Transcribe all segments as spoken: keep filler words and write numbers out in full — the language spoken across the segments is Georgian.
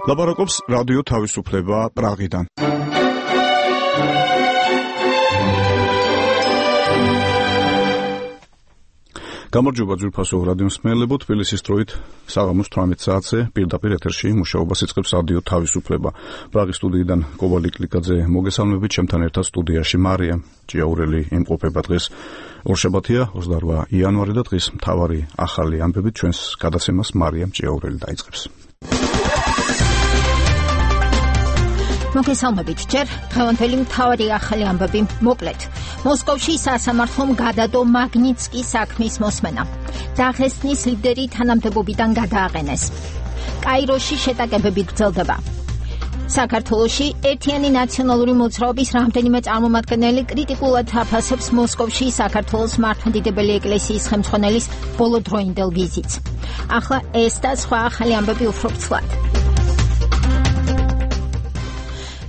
ლაპარაკობს რადიო თავისუფლება პრაღიდან. გამარჯობა ძვირფასო რადიო მსმენელებო, თბილისის დროით საღამოს თვრამეტ საათზე პირდაპირ ეთერში მუშაობას იწყებს რადიო თავისუფლება. პრაღის სტუდიიდან კოვალი კლიკაძე მოგესალმებით, ჩემთან ერთად სტუდიაში მარია ჭიაურელი იმყოფება დღეს ორშაბათია ოცდაოთხ იანვარი და დღის მთავარი ახალი ამბებით ჩვენს გადაცემას მარია ჭიაურელი დაიწყებს. მოგესალმებით, ჯერ დღევანდელი მთავარი ახალი ამბები მოკლედ. მოსკოვში სასამართლომ გადადო მაგნიტსკის საქმის მოსმენა. დაღესტნის ლიდერი თანამდებობიდან გადააყენეს. კაიროში შეტაკებები გრძელდება. საქართველოში ერთიანი ნაციონალური მოძრაობის რამდენიმე წარმომადგენელი კრიტიკულად აფასებს მოსკოვში საქართველოს მართლმადიდებელი ეკლესიის ხელმძღვანელის ბოლოდროინდელ ვიზიტს. ახლა ეს და სხვა ახალი ამბები უფრო ფრთლად.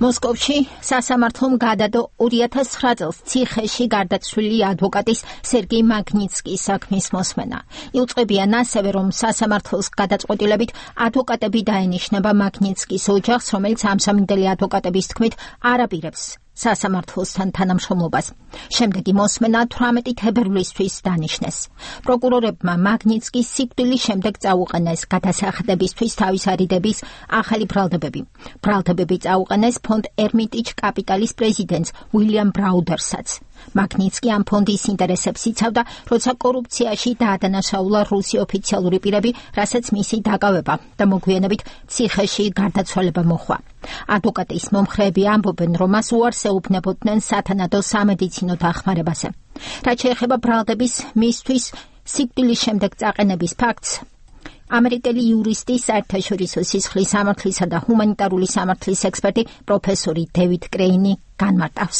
მოსკოვში სასამართლომ გადადო ორი ათას ცხრა წელს ციხეში გარდაცვლილი ადვოკატის სერგეი მაგნიტსკის საქმის მოსმენა. იუწყებიან ასევე, რომ სასამართლოს გადაწყვეტილებით ადვოკატები დაენიშნება მაგნიტსკის ოჯახს, რომელიც ამსამინდელი ადვოკატების თქმით არ აპირებს სასამართლოსთან თანამშრომლობას. შემდეგი მოსმენა თვრამეტი თებერვლისთვის დანიშნეს. პროკურორებმა მაგნიტსკის სიკვდილის შემდეგ წაუყენეს გადასახადებისთვის თავის არიდების ახალი ბრალდებები. ბრალდებები წაუყენეს ფონდ ერმიტიჯ კაპიტალის პრეზიდენტს უილიამ ბრაუდერსაც. მაგნიტსკი ამ ფონდის ინტერესებს იცავდა, როცა კორუფციაში დაადანაშაულა რუსი ოფიციალური პირები, რასაც მისი დაკავება და მოგვიანებით ციხეში გარდაცვალება მოჰყვა. ადვოკატის მომხრეები ამბობენ, რომ მას უარს ეუბნებოდნენ სათანადო სამედიცინო დახმარებაზე. რაც შეეხება ბრალდების მისთვის სიკვდილის შემდეგ წაყენების ფაქტს, ამერიკელი იურისტი, საერთაშორისო სისხლის სამართლისა და ჰუმანიტარული სამართლის ექსპერტი პროფესორი დევიდ კრეინი განმარტავს.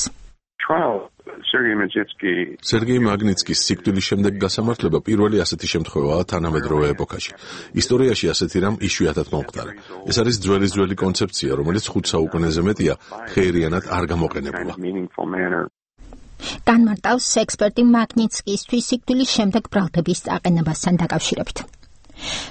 სერგეი მაგნიტსკის სიკვდილის შემდეგ გასამართლება პირველი ასეთი შემთხვევაა თანამედროვე ეპოქაში. ისტორიაში ასეთი რამ იშვიათად მომხდარა. ეს არის ძველის ძველი კონცეფცია, რომელიც ხუთ საუკუნეზე მეტია ხეირიანად არ გამოყენებულა. განმარტავს ექსპერტი მაგნიტსკისთვის სიკვდილის შემდეგ ბრალდების წაყენებასთან დაკავშირებით.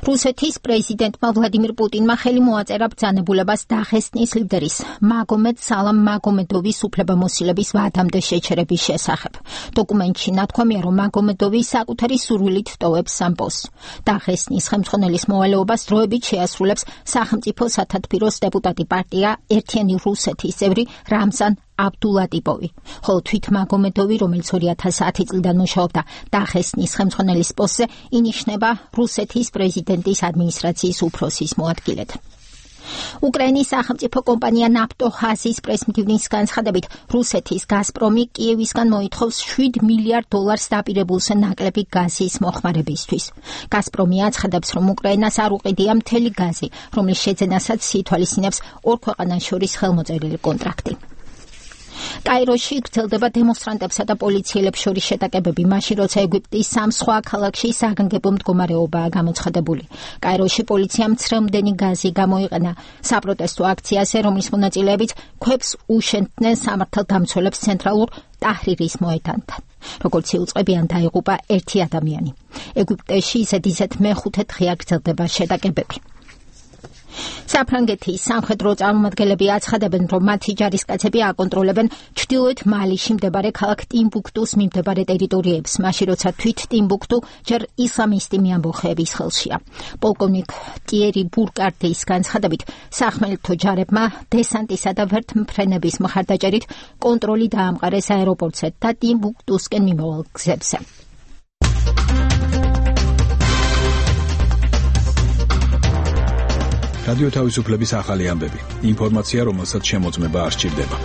რუსეთის პრეზიდენტმა ვლადიმირ პუტინმა ხელი მოაწერა ბრძანებულებას დაღესტნის ლიდერის მაგომედ სალამ მაგომედოვის უფლებამოსილების ვადამდე შეჩერების შესახებ. დოკუმენტში ნათქვამია, რომ მაგომედოვი საკუთარი სურვილით ტოვებს ამ პოსტს. დაღესტნის ხელმძღვანელის მოვალეობას დროებით შეასრულებს სახელმწიფო სათათბიროს დეპუტატი პარტია ერთიანი რუსეთის წევრი რამზან აბდულატიპოვი, ხოლო თვით მაგომედოვი, რომელიც ორი ათას ათი წლიდან მუშაობდა დაღესტნის ხელმძღვანელის პოსტზე, ინიშნება რუსეთის პრეზიდენტის ადმინისტრაციის უფროსის მოადგილედ. უკრაინის სახელმწიფო კომპანია ნაფტოჰაზის პრესმდივნის განცხადებით, რუსეთის გაზპრომი კიევისგან მოითხოვს შვიდ მილიარდ დოლარს დაპირებულს ნაკლები გაზის მოხმარებისთვის. გაზპრომი აცხადებს, რომ უკრაინას არ უყიდია მთელი გაზი, რომლის შეძენასაც ითვალისწინებს ორ ქვეყანას შორის ხელმოწერილი კონტრაქტი. კაიროში გრძელდება დემონსტრანტებსა და პოლიციელებს შორის შეტაკებები, მაშინ როცა ეგვიპტის სამ სხვა ქალაქში საგანგებო მდგომარეობაა გამოცხადებული. კაიროში პოლიციამ ცრემლდენი გაზი გამოიყენა საპროტესტო აქციაზე, რომლის მონაწილეებიც ქვებს უშენდნენ სამართალდამცველებს ცენტრალურ ტაჰრირის მოედანთან. როგორც იუწყებიან, დაიღუპა ერთი ადამიანი. ეგვიპტეში ისეთ-ისეთ მეხუთე დღეა გრძელდება შეტაკებები. საფრანგეთის სამხედრო წარმომადგენლები აცხადებენ, რომ მათი ჯარისკაცები აკონტროლებენ ჩრდილოეთ მალიში მდებარე ქალაქ ტიმბუქტუს მიმდებარე ტერიტორიებს, მაშინ როცა თვით ტიმბუქტუ ჯერ ისლამისტი მეამბოხეების ხელშია. პოლკოვნიკ ტიერი ბურკარტის განცხადებით, სახმელეთო ჯარებმა დესანტისა და ვერთმფრენების მხარდაჭერით კონტროლი დაამყარეს აეროპორტზე და ტიმბუქტუსკენ მიმავალ გზებზე. რადიო თავისუფლების ახალი ამბები. ინფორმაცია, რომელსაც შემოწმება არ სჭირდება.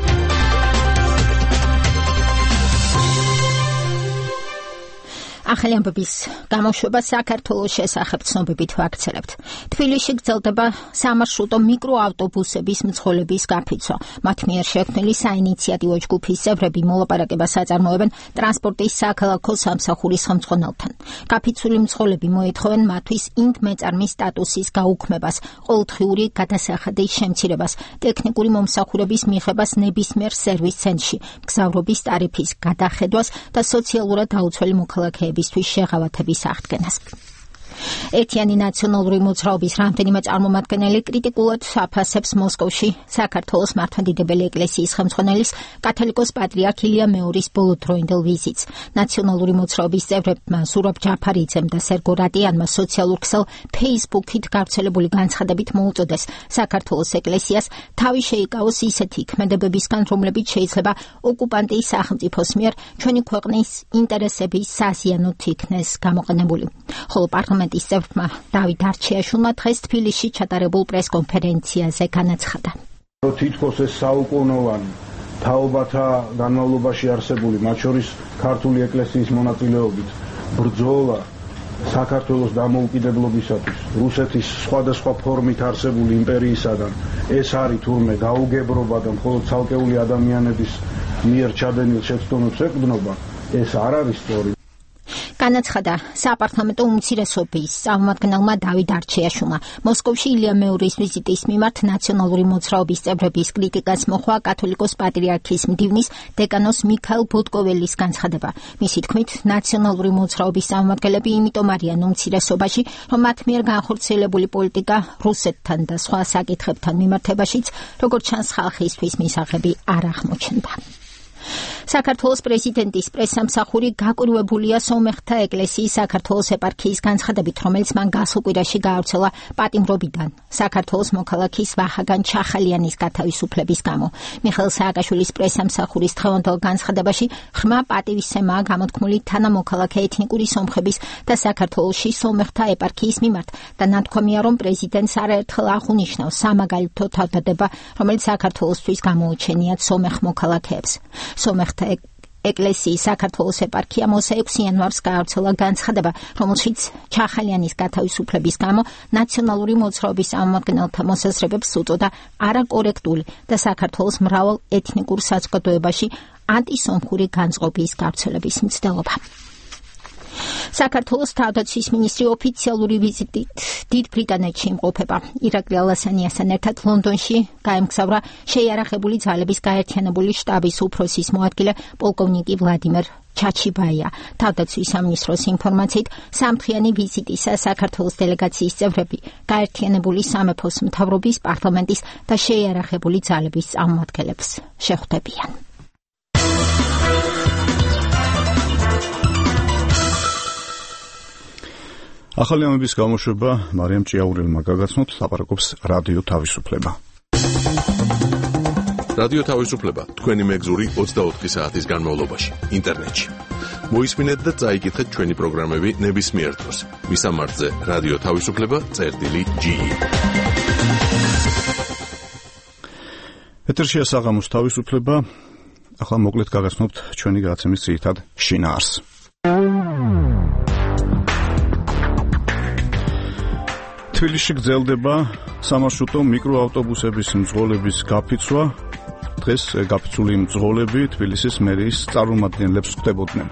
ახალი ამბების გამოშვება საქართველოს შესახებ ცნობებით ვაქცელებთ. თბილისში გრძელდება სამარშრუტო მიკროავტობუსების მძღოლების გაფიცვა. მათ მიერ შექმნილი საინიციატივო ჯგუფის წევრები მოლაპარაკებას აწარმოებენ ტრანსპორტის საქალაქო სამსახურის ხელმძღვანელთან. გაფიცვილი მძღოლები მოითხოვენ მათთვის ინდმეწარმის სტატუსის გაუქმებას, ყოველდღიური გადასახადის შემცირებას, ტექნიკური მომსახურების მიღებას ნებისმიერ სერვის ცენტრში, მგზავრობის ტარიფის გადახედვას და სოციალურად დაუცველი მოქალაქეებისთვის შეღავათების აღდგენას. ერთიანი ნაციონალური მოძრაობის რამდენიმე წარმომადგენელი კრიტიკულად აფასებს მოსკოვში საქართველოს მართლმადიდებელი ეკლესიის ხელმძღვანელის კათოლიკოს პატრიარქ ილია მეორის ბოლოდროინდელ ვიზიტს. ნაციონალური მოძრაობის წევრებმა ზურაბ ჯაფარიძემ და სერგო რატიანმა სოციალურ ქსელ Facebook-ით გავრცელებული განცხადებით მოუწოდეს საქართველოს ეკლესიას თავი შეიკავოს ისეთი ქმედებებისგან, რომლებიც შეიძლება ოკუპანტის სახელმწიფოს მიერ ჩვენი ქვეყნის ინტერესების საზიანოდ იქნეს გამოყენებული. ხოლო პარლამენტის წევრმა დავით არჩიაშვილმა დღეს თბილისში ჩატარებულ პრესკონფერენციაზე განაცხადა. თითქოს ეს საუკუნოვანი თაობათა განმავლობაში არსებული, მათ შორის ქართული ეკლესიის მონაწილეობით ბრძოლა საქართველოს დამოუკიდებლობისათვის რუსეთის სხვადასხვა ფორმით არსებული იმპერიისაგან ეს არის თურმე გაუგებრობა და მხოლოდ ცალკეული ადამიანების მიერ ჩადენილ შეცდომებს ეყრდნობა, ეს არ არის სწორი. განაცხადა საპარლამენტო უმცირესობის წარმომადგენელმა დავით არჩიაშვილმა. მოსკოვში ილია მეურის ვიზიტის მიმართ ნაციონალური მოძრაობის წევრების კრიტიკას მოჰყვა კათოლიკოს პატრიარქის მდივნის დეკანოს მიქაელ ბოტკოველის განცხადება. მისი თქმით, ნაციონალური მოძრაობის წარმომადგენლები იმიტომ არიან უმცირესობაში, რომ მათ მიერ განხორციელებული პოლიტიკა რუსეთთან და სხვა საკითხებთან მიმართებაშიც, როგორც ჩანს, ხალხისთვის მისაღები არ აღმოჩნდა. საქართველოს პრეზიდენტის პრესსამსახური გაკვირვებულია სომეხთა ეკლესიის საქართველოს ეპარქიის განცხადებით, რომელიც მან გასულ კვირაში გაავრცელა პატიმრობიდან საქართველოს მოქალაქის ვახაგან ჩახალიანის გათავისუფლების გამო. მიხეილ სააკაშვილის პრესსამსახურის დღევანდელ განცხადებაში ღრმა პატივისცემაა გამოთქმული თანამოქალაქე ეთნიკური სომხების და საქართველოში სომეხთა ეპარქიის მიმართ და ნათქვამია, რომ პრეზიდენტს არაერთხელ აღუნიშნავს სამაგალითო თავდადება, რომელიც საქართველოსთვის გამოუჩენიათ სომეხ მოქალაქეებს. სომეხთა ეკლესიის საქართველოს ეპარქიამ ოცდაექვსი იანვარს გაავრცელა განცხადება, რომელშიც ჩახალიანის გათავისუფლების გამო ნაციონალური მოძრაობის წარმომადგენელთა მოსაზრებებს უწოდა არაკორექტული და საქართველოს მრავალ ეთნიკურ საზოგადოებაში ანტისომხური განწყობის გავრცელების მცდელობა. საქართველოს თავდაცვის მინისტრი ოფიციალური ვიზიტით დიდ ბრიტანეთში იმყოფება. ირაკლი ალასანიასთან ერთად ლონდონში გაემგზავრა შეიარაღებული ძალების გაერთიანებული შტაბის უფროსის მოადგილე პოლკოვნიკი ვლადიმერ ჩაჩიბაია. თავდაცვის სამინისტროს ინფორმაციით, სამთვიანი ვიზიტისას საქართველოს დელეგაციის წევრები გაერთიანებული სამეფოს მთავრობის, პარლამენტის და შეიარაღებული ძალების წარმომადგენლებს შეხვდებიან. ახალი ამების გამოშვება მარიამ ჭიაურელმა გაგაცნოთ, ლაპარაკობს რადიო თავისუფლება. რადიო თავისუფლება თქვენი მეგზური ოცდაოთხი საათის განმავლობაში ინტერნეტში. მოისმინეთ და წაიკითხეთ ჩვენი პროგრამები ნებისმიერ დროს. მისამართზე რადიო თავისუფლება წერტილი ჯი. ეთერშია საღამოს თავისუფლება. ახლა მოკლედ გაგაცნობთ ჩვენი გადაცემის ძირითად შინაარსს. თბილისში გრძელდება სამარშრუტო მიკროავტობუსების მძღოლების გაფიცვა. დღეს გაფიცული მძღოლები თბილისის მერიის წარმომადგენლებს ხვდებოდნენ.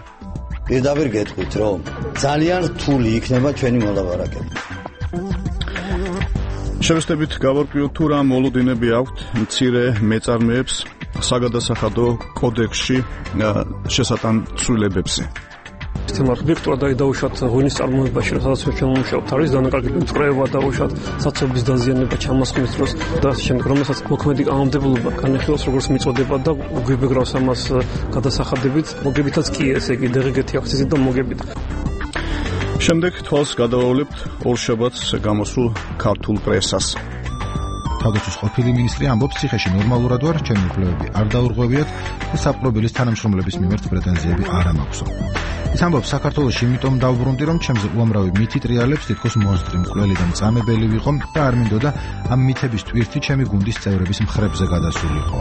პირდაპირ გეტყვით, რომ ძალიან რთული იქნება ჩვენი მოლაპარაკება. შევესწრებით გავარკვიოთ თუ რა მოლოდინები აქვთ მცირე მეწარმეებს საგადასახადო კოდექსში შესატან ცვლილებებზე. თემარ ვიქტორ და დაუშვათ ღვინის წარმოებაში, სადაც ჩვენ ვმუშაობთ, არის დანაკარგებული მწყრეობა, დაუშვათ საცობლის დაზიანება ჩამოსხმის დროს და ამ შემდეგ, რომელსაც მოქმედი კანონმდებლობა განიხილავს როგორც მიწოდება და გვიბეგრავს ამას გადასახადებით, მოგებითაც კი ესე იგი დღგ-ი აქციზით და მოგებით. შემდეგ თვალს გადავავლებთ ორშაბათს გამოსულ ქართულ პრესას. თავდაცვის ყოფილი მინისტრი ამბობს, ციხეში ნორმალურად ვარ, ჩემი უფლებები არ დაურღვევიათ და საპყრობილის თანამშრომლების მიმართ პრეტენზიები არ მაქვს. ის ამბობს, საქართველოში იმიტომ დავბრუნდი, რომ ჩემზე უამრავი მითი ტრიალებს თითქოს მონსტრი, მკვლელი და მწამებელი ვიყო და არ მინდოდა ამ მითების ტვირთი ჩემი გუნდის წევრების მხრებზე გადასულიყო.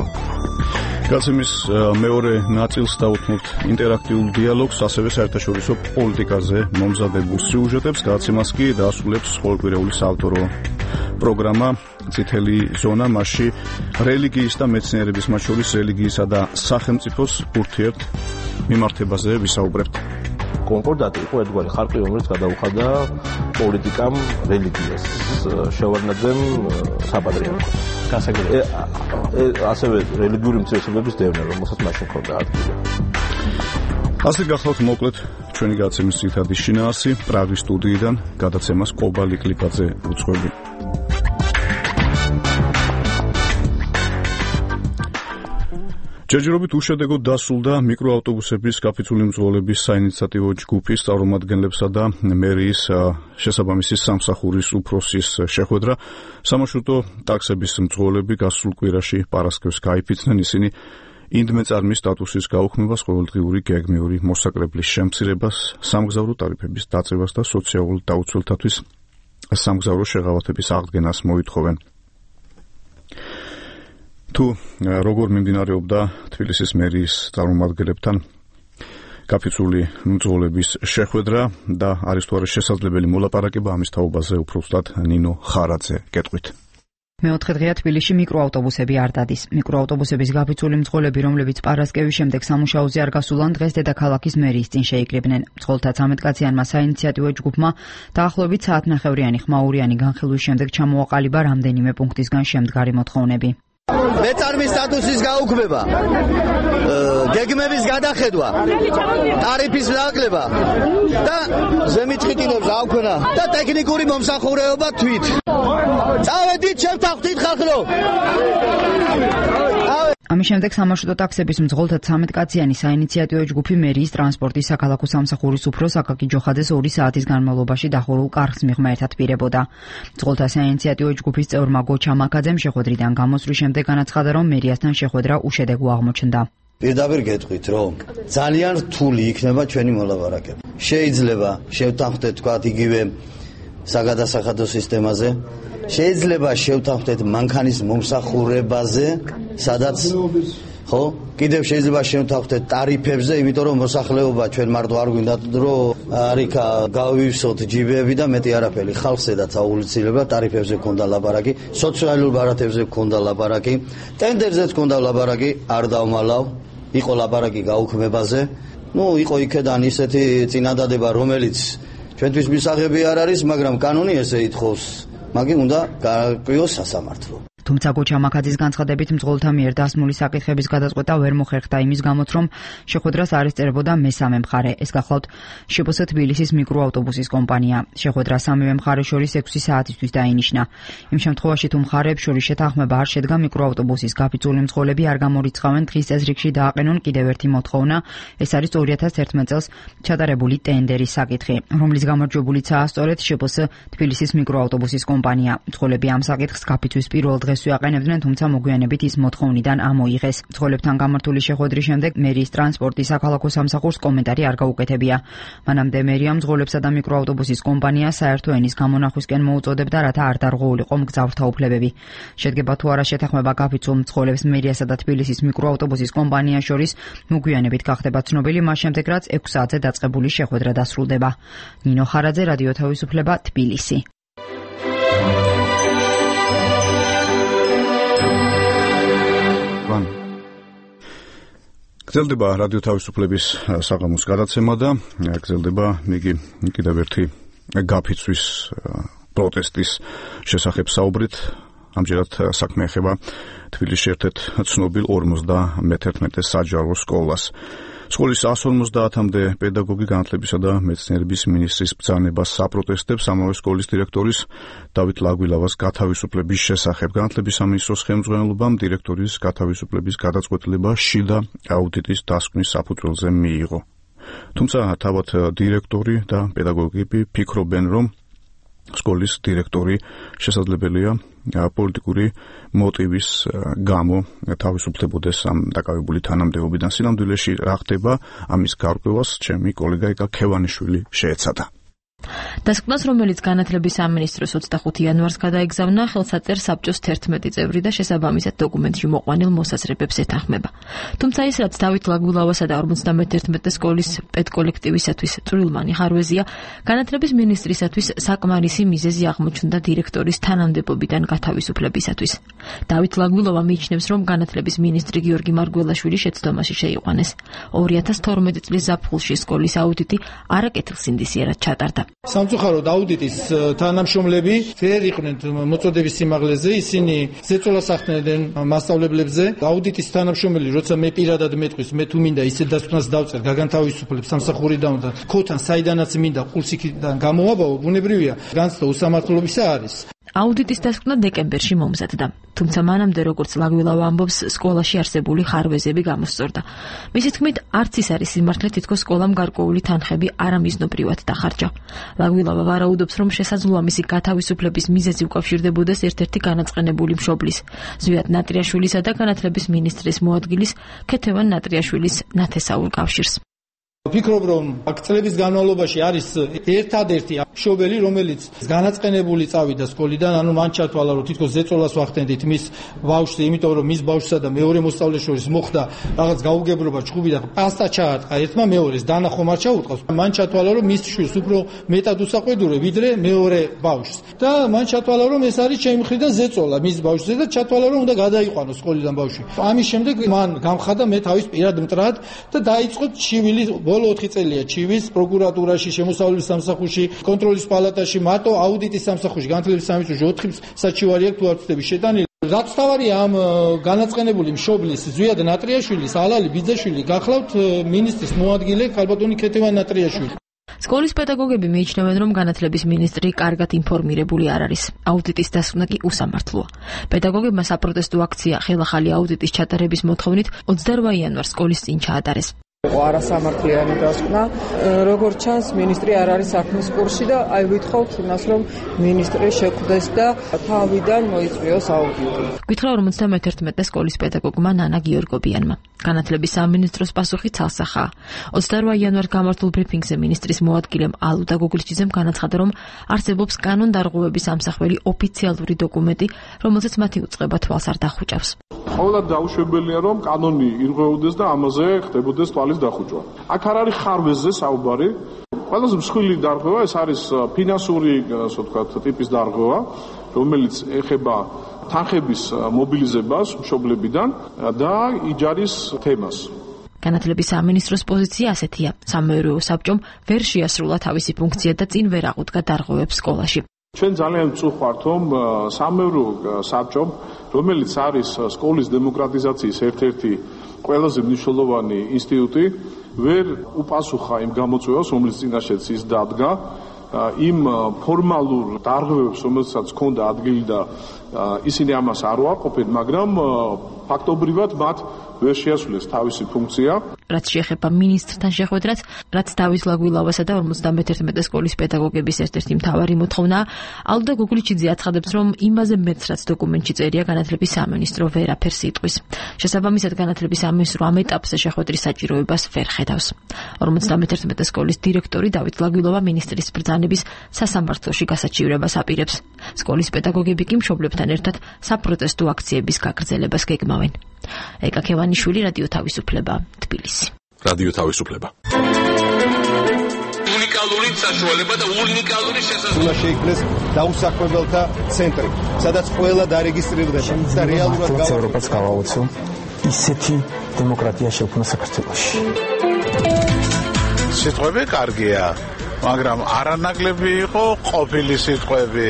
გაცემის მეორე ნაწილს დავუთმობთ ინტერაქტიულ დიალოგს, ასევე საერთაშორისო პოლიტიკაზე მომზადებულ სიუჟეტებს. გაცემას კი დაასრულებს ყოველკვირეული საავტორო პროგრამა წითელი ზონა, მასში რელიგიის და მეცნიერების, მათ შორის რელიგიისა და სახელმწიფოს ურთიერთ მიმართებაზე ვისაუბრებთ. კონკორდატი იყო ერთგვარი ხარკი, რომელიც გადაუხადა პოლიტიკამ რელიგიას, შევარდნაძემ საპატრიარქოს. გასაგებია. ასევე რელიგიური მცირესობების დევნა, რომელსაც მაშინ ჰქონდა ადგილი. ასე გახლავთ მოკლედ ჩვენი გადაცემის ძირითადი შინაარსი პრაღის სტუდიიდან გადაცემას კობა ლიკლიკაძე უძღვები. ჯერჯერობით უშედეგოდ დასრულდა მიკროავტობუსების კაფიცული მძღოლების საინიციატივო ჯგუფის წარმომადგენლებსა და მერიის შესაბამისი სამსახურის უფროსის შეხვედრა. სამარშრუტო ტაქსების მძღოლები გასულ კვირაში პარასკევს გაიფიცნენ. ისინი ინდმეწარმის სტატუსის გაუქმებას, ყოველდღიური გეგმიური მოსაკრებლის შემცირებას, სამგზავრო ტარიფების დაწევას და სოციალურ დაუცველთათვის სამგზავრო შეღავათების აღდგენას მოითხოვენ. თუ როგორ მიმდინარეობდა თბილისის მერიის წარმომადგენლებთან კაფიცული მძღოლების შეხვედრა და არის თუ არა შესაძლებელი მოლაპარაკება ამის თაობაზე უფრო ზუსტად ნინო ხარაძე გეტყვით. მეოთხე დღეა თბილისში მიკროავტობუსები არ დადის. მიკროავტობუსების გაფიცული მძღოლები, რომლებიც პარასკევის შემდეგ სამუშაოზე არ გასულან, დღეს დედაქალაქის მერიის წინ შეიკრიბნენ. მძღოლთა ცამეტკაციანმა საინიციატივო ჯგუფმა დაახლოებით საათნახევრიანი ხმაურიანი განხილვის შემდეგ ჩამოაყალიბა რამდენიმე პუნქტისგან შემდგარი მოთხოვნები. მეწარმის სტატუსის გაუქმება, გეგმების გადახედვა, ტარიფის ნაკლება და ზემითყიტინებს აუქმნა და ტექნიკური მომსახურეობა თვით. წავედით შევთანხმდით ხალხო. ამის შემდეგ სამარშრუტო ტაქსების მძღოლთა ცამეტკაციანი საინიციატივო ჯგუფი მერიის ტრანსპორტის საქალაქო სამსახურის უფროს აკაკი ჯოხაძეს ორი საათის განმავლობაში დახურულ კარგს მიღმა ერთად პირებოდა. მძღოლთა საინიციატივო ჯგუფის წევრმა გოჩა მაკაძემ შეხვედრიდან გამოსვლის შემდეგ განაცხადა, რომ მერიასთან შეხვედრა უშედეგო აღმოჩნდა. პირდაპირ გეტყვით, რომ ძალიან რთული იქნება ჩვენი მოლაპარაკება. შეიძლება შევთანხმდეთ თქვათ იგივე საგადასახადო სისტემაზე, შეიძლება შევთანხმდეთ მანქანის მომსახურებაზე, სადაც ხო, კიდევ შეიძლება შევთანხმდეთ ტარიფებზე, იმიტომ რომ მოსახლეობა ჩვენ მარტო არ გვინდა რომ არიქა გავივსოთ ჯიბები და მეტი არაფერი. ხალხს ედაც აუცილებლად ტარიფებზე ქონდა ლაპარაკი, სოციალურ ბარათებზე ქონდა ლაპარაკი, ტენდერზეც ქონდა ლაპარაკი, არ დავმალავ, იყო ლაპარაკი გაუქმებაზე. ნუ იყო იქედან ისეთი წინადადება, რომელიც ჩვენთვის მისაღები არ არის, მაგრამ კანონი ესე ითხოვს. მაგი უნდა გააკვიოს სასამართლო. თუმცა გოჩა მაკაძის განცხადებით მძღოლთა მიერ დასმული საკითხების გადაწყვეტა ვერ მოხერხდა იმის გამოც, რომ შეხვედრას არ ესწრებოდა მესამე მხარე. ეს გახლავთ შპს თბილისის მიკროავტობუსის კომპანია. შეხვედრა სამივე მხარეს შორის ექვსი საათისთვის დაინიშნა. იმ შემთხვევაში, თუ მხარეებს შორის შეთანხმება არ შედგა, მიკროავტობუსის გაფიცული მძღოლები არ გამორიცხავენ დღის წესრიგში დააყენონ კიდევ ერთი მოთხოვნა. ეს არის ორი ათას ერთმეტ წელს ჩატარებული ტენდერის საკითხი, რომლის გამარჯვებულიცაა სწორედ შპს თბილისის მიკროავტობუსის კომპანია. მძღოლები ამ საკითხს გაფიცვის პირველ დღეს ვიაყენებდნენ, თუმცა მოგვიანებით ის მოთხოვნიდან ამოიღეს. მძღოლებთან გამართული შეხვედრის შემდეგ მერიის ტრანსპორტის საქალაქო სამსახურს კომენტარი არ გაუკეთებია. მანამდე მერია მძღოლებსა და მიკროავტობუსის კომპანიას საერთო ენის გამონახვისკენ მოუწოდებდა, რათა არ დარღვეულიყო მგზავრთა უფლებები. შედგება თუ არა შეთანხმება გაფიცულ მძღოლებს მერიასა და თბილისის მიკროავტობუსის კომპანიას შორის, მოგვიანებით გახდება ცნობილი, მას შემდეგ რაც ექვს საათზე დაწყებული შეხვედრა დასრულდება. ნინო ხარაძე, რადიო თავისუფლება, თბილისი. გრძელდება რადიო თავისუფლების საღამოს გადაცემა და გრძელდება იგი კიდევ ერთი გაფიცვის პროტესტის შესახებ საუბრით. ამჯერად საქმე ეხება თბილისში ერთ-ერთ ცნობილ ორმოცდამეთერთმეტე საჯარო სკოლას. სკოლის ას ორმოცდაათამდე პედაგოგი განათლებისა და მეცნიერების მინისტრის ბრძანებას საპროტესტებს ამავე სკოლის დირექტორის დავით ლაგვილავას გათავისუფლების შესახებ. განათლების სამინისტროს ხელმძღვანელობამ დირექტორის გათავისუფლების გადაწყვეტილება შიდა აუდიტის დასკვნის საფუძველზე მიიღო. თუმცა თავად დირექტორი და პედაგოგები ფიქრობენ, რომ სკოლის დირექტორი შესაძლებელია პოლიტიკური მოტივის გამო თავისუფლებოდეს ამ დაკავებული თანამდებობიდან. სინამდვილეში რა ხდება, ამის გარკვევას ჩემი კოლეგა იკა ქევანიშვილი შეეცადა. დასკვნას, რომელიც განათლების სამინისტროს ოცდახუთი იანვარს გადაეგზავნა, ხელსაწერ საბჭოს თერთმეტი წევრი და შესაბამისად დოკუმენტში მოყვანილ მოსაზრებებს ეთანხმება. თუმცა ის, რაც დავით ლაგვილავასა და ორმოცდამეთერთმეტე სკოლის პედკოლექტივისათვის წვრილმანი ხარვეზია, განათლების მინისტრისათვის საკმარისი მიზეზი აღმოჩნდა დირექტორის თანამდებობიდან გათავისუფლებისათვის. დავით ლაგვილავა მიიჩნევს, რომ განათლების მინისტრი გიორგი მარგველაშვილი შეცდომაში შეიყვანეს. ორი ათას თორმეტი წლის ზაფხულში სკოლის აუდიტი არაკეთილსინდისიერად ჩატარდა. სამწუხაროდ აუდიტის თანამშრომლები ვერ იყვნენ მოწოდების სიმაღლეზე, ისინი ზეწოლას ახდენენ მასწავლებლებზე. აუდიტის თანამშრომელი, როცა მე პირადად მეტყვის, მე თუ მინდა ისე დასკვნას დავწერ, გაგანთავისუფლებ სამსახურიდან და ქოთან საიდანაც მინდა ყულსიქიდან გამოვაბავო, ბუნებრივია, განცდა უსამართლობისა არის. აუდიტის დასკვნა დეკემბერში მომზადდა, თუმცა მანამდე, როგორც ლაგვილავა ამბობს, სკოლაში არსებული ხარვეზები გამოსწორდა. მისი თქმით, არც ის არის სიმართლე, თითქოს სკოლამ გარკვეული თანხები არამიზნობრივად დახარჯა. ლაგვილავა ვარაუდობს, რომ შესაძლოა მისი გათავისუფლების მიზეზი უკავშირდებოდეს ერთ-ერთი განაწყენებული მშობლის, ზვიად ნატრიაშვილისა და განათლების მინისტრის მოადგილის ქეთევან ნატრიაშვილის ნათესაურ კავშირს. ვფიქრობ, რომ აქ წლების განმავლობაში არის ერთადერთი მშობელი, რომელიც განაწყენებული წავიდა სკოლიდან, ანუ მან ჩათვალა, რომ თითქოს ზეწოლას ვახდენდით მის ბავშვზე, იმიტომ რომ მის ბავშვსა და მეორე მოსწავლეს შორის მოხდა რაღაც გაუგებრობა, ჭუბი და პასტა ჩაარტყა ერთმა მეორეს, დანახომ არ ჩაუტყავს. მან ჩათვალა, რომ მის შვილს უფრო მეტად უსაყვედურე, ვიდრე მეორე ბავშვს. და მან ჩათვალა, რომ ეს არის ჩემი მხრიდან ზეწოლა მის ბავშვზე და ჩათვალა, რომ უნდა გადაიყვანოს სკოლიდან ბავშვი. ამის შემდეგ მან გამხადა მე თავის პირად მტრად და დაიწყო ჩივილი ბოლო ოთხი წელია ჩივის პროკურატურაში, შემოსავლების სამსახურში, კონტროლის პალატაში, მარტო აუდიტის სამსახურში, განათლების სამინისტროში ოთხი საჩივარი აქვს თუ არ ვცდები შეტანილი. რაც თავარია ამ განაწყენებული მშობლის ზვიად ნატრიაშვილის, ალალი ბიძაშვილი გახლავთ მინისტრის მოადგილე ქალბატონი ქეთევან ნატრიაშვილი. სკოლის პედაგოგები მიიჩნევენ, რომ განათლების მინისტრი კარგად ინფორმირებული არ არის. აუდიტის დასკვნა კი უსამართლოა. პედაგოგებმა საპროტესტო აქცია ხელახალი აუდიტის ჩატარების მოთხოვნით ოცდაოთხ იანვარს სკოლის წინ ჩაატარეს. არასამართლიანი დასკვნა, როგორც ჩანს, მინისტრი არ არის საქმის კურსში და აი ვითხოვთ იმას, რომ მინისტრი შეკვდეს და თავიდან მოიწვიოს აუდიტი. გითხრა ორმოცდამეთერთმეტე სკოლის პედაგოგმა ნანა გიორგობიანმა. განათლების სამინისტროს პასუხი ცალსახაა. ოცდაოთხ იანვარს გამართულ ბრიფინგზე მინისტრის მოადგილემ ალუდა გოგლიჩიძემ განაცხადა, რომ არსებობს კანონდარღვევების ამსახველი ოფიციალური დოკუმენტი, რომელზეც მათი უწყება თვალს არ დახუჭავს. ყოველად დაუშვებელია, რომ კანონი ირღვეოდეს და ამაზე ხდებოდეს თვალის დახუჭვა. აქ არ არის ხარვეზზე საუბარი. ყველაზე მსხვილი დარღვევა ეს არის ფინანსური, ასე ვთქვათ, ტიპის დარღვევა, რომელიც ეხება თანხების მობილიზებას მშობლებიდან და იჯარის თემას. განათლების სამინისტროს პოზიცია ასეთია: სამეურვეო საბჭომ ვერ შეასრულა თავისი ფუნქცია და წინ ვერ აღუდგა დარღვევებს სკოლაში. ჩვენ ძალიან ვწუხართ, რომ სამეურვეო საბჭომ, რომელიც არის სკოლის დემოკრატიზაციის ერთ-ერთი ყველაზე მნიშვნელოვანი ინსტიტუტი, ვერ უპასუხა იმ გამოწვევას, რომლის წინაშეც ის დადგა, იმ ფორმალურ დარღვევებს, რომელსაც ჰქონდა ადგილი და ისინი ამას არ უარყოფენ, მაგრამ ფაქტობრივად მათ ვერ შეასრულეს თავისი ფუნქცია. რაც შეეხება მინისტრთან შეხვედრას, რაც დავის ლაგვილავასა და ორმოცდამეთერთმეტე სკოლის პედაგოგების ერთ-ერთი მთავარი მოთხოვნაა, ალუდა გოგლიჩიძე აცხადებს, რომ იმაზე მეც რაც დოკუმენტში წერია, განათლების სამინისტრო ვერაფერს იტყვის. შესაბამისად, განათლების სამინისტრო ამ ეტაპზე შეხვედრის საჭიროებას ვერ ხედავს. ორმოცდამეთერთმეტე სკოლის დირექტორი დავით ლაგვილავა მინისტრის ბრძანების სასამართლოში გასაჩივრებას აპირებს. სკოლის პედაგოგები კი მშობლებთან ერთად საპროტესტო აქციების გაგრძელებას გეგმავენ. ეკა ქევანიშვილი, რადიო თავისუფლება, თბილისი. რადიო თავისუფლება. უნიკალური საშუალება და უნიკალური შესაძლებლობა შეიქმნეს დაუსაქმებელთა ცენტრი, სადაც ყველა დარეგისტრირდება და რეალურად ევროპას გავაოცო ისეთი დემოკრატია შექმნა საქართველოში. სიტყვები კარგია, მაგრამ არანაკლები იყო ყოფილი სიტყვები.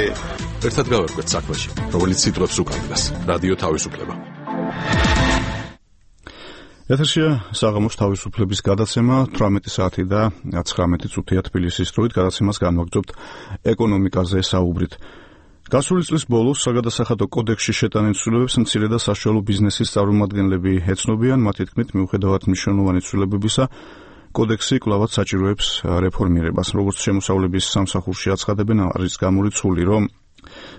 ერთად გავერკვეთ საქმეში, რომელიც სიტყვებს უკავშირდება. რადიო თავისუფლება. ეთერშია საღამოს თავისუფლების გადაცემა თვრამეტი საათი და ცხრამეტი წუთია თბილისის დროით. გადაცემას განვაგრძობთ ეკონომიკაზე საუბრით. გასული წლის ბოლოს საგადასახადო კოდექსში შეტანილ ცვლილებებს მცირე და საშუალო ბიზნესის წარმომადგენლები ეცნობიან. მათი თქმით, მიუხედავად მნიშვნელოვანი ცვლილებებისა, კოდექსი კვლავაც საჭიროებს რეფორმირებას. როგორც შემოსავლების სამსახურში აცხადებენ, არის გამორიცხული, რომ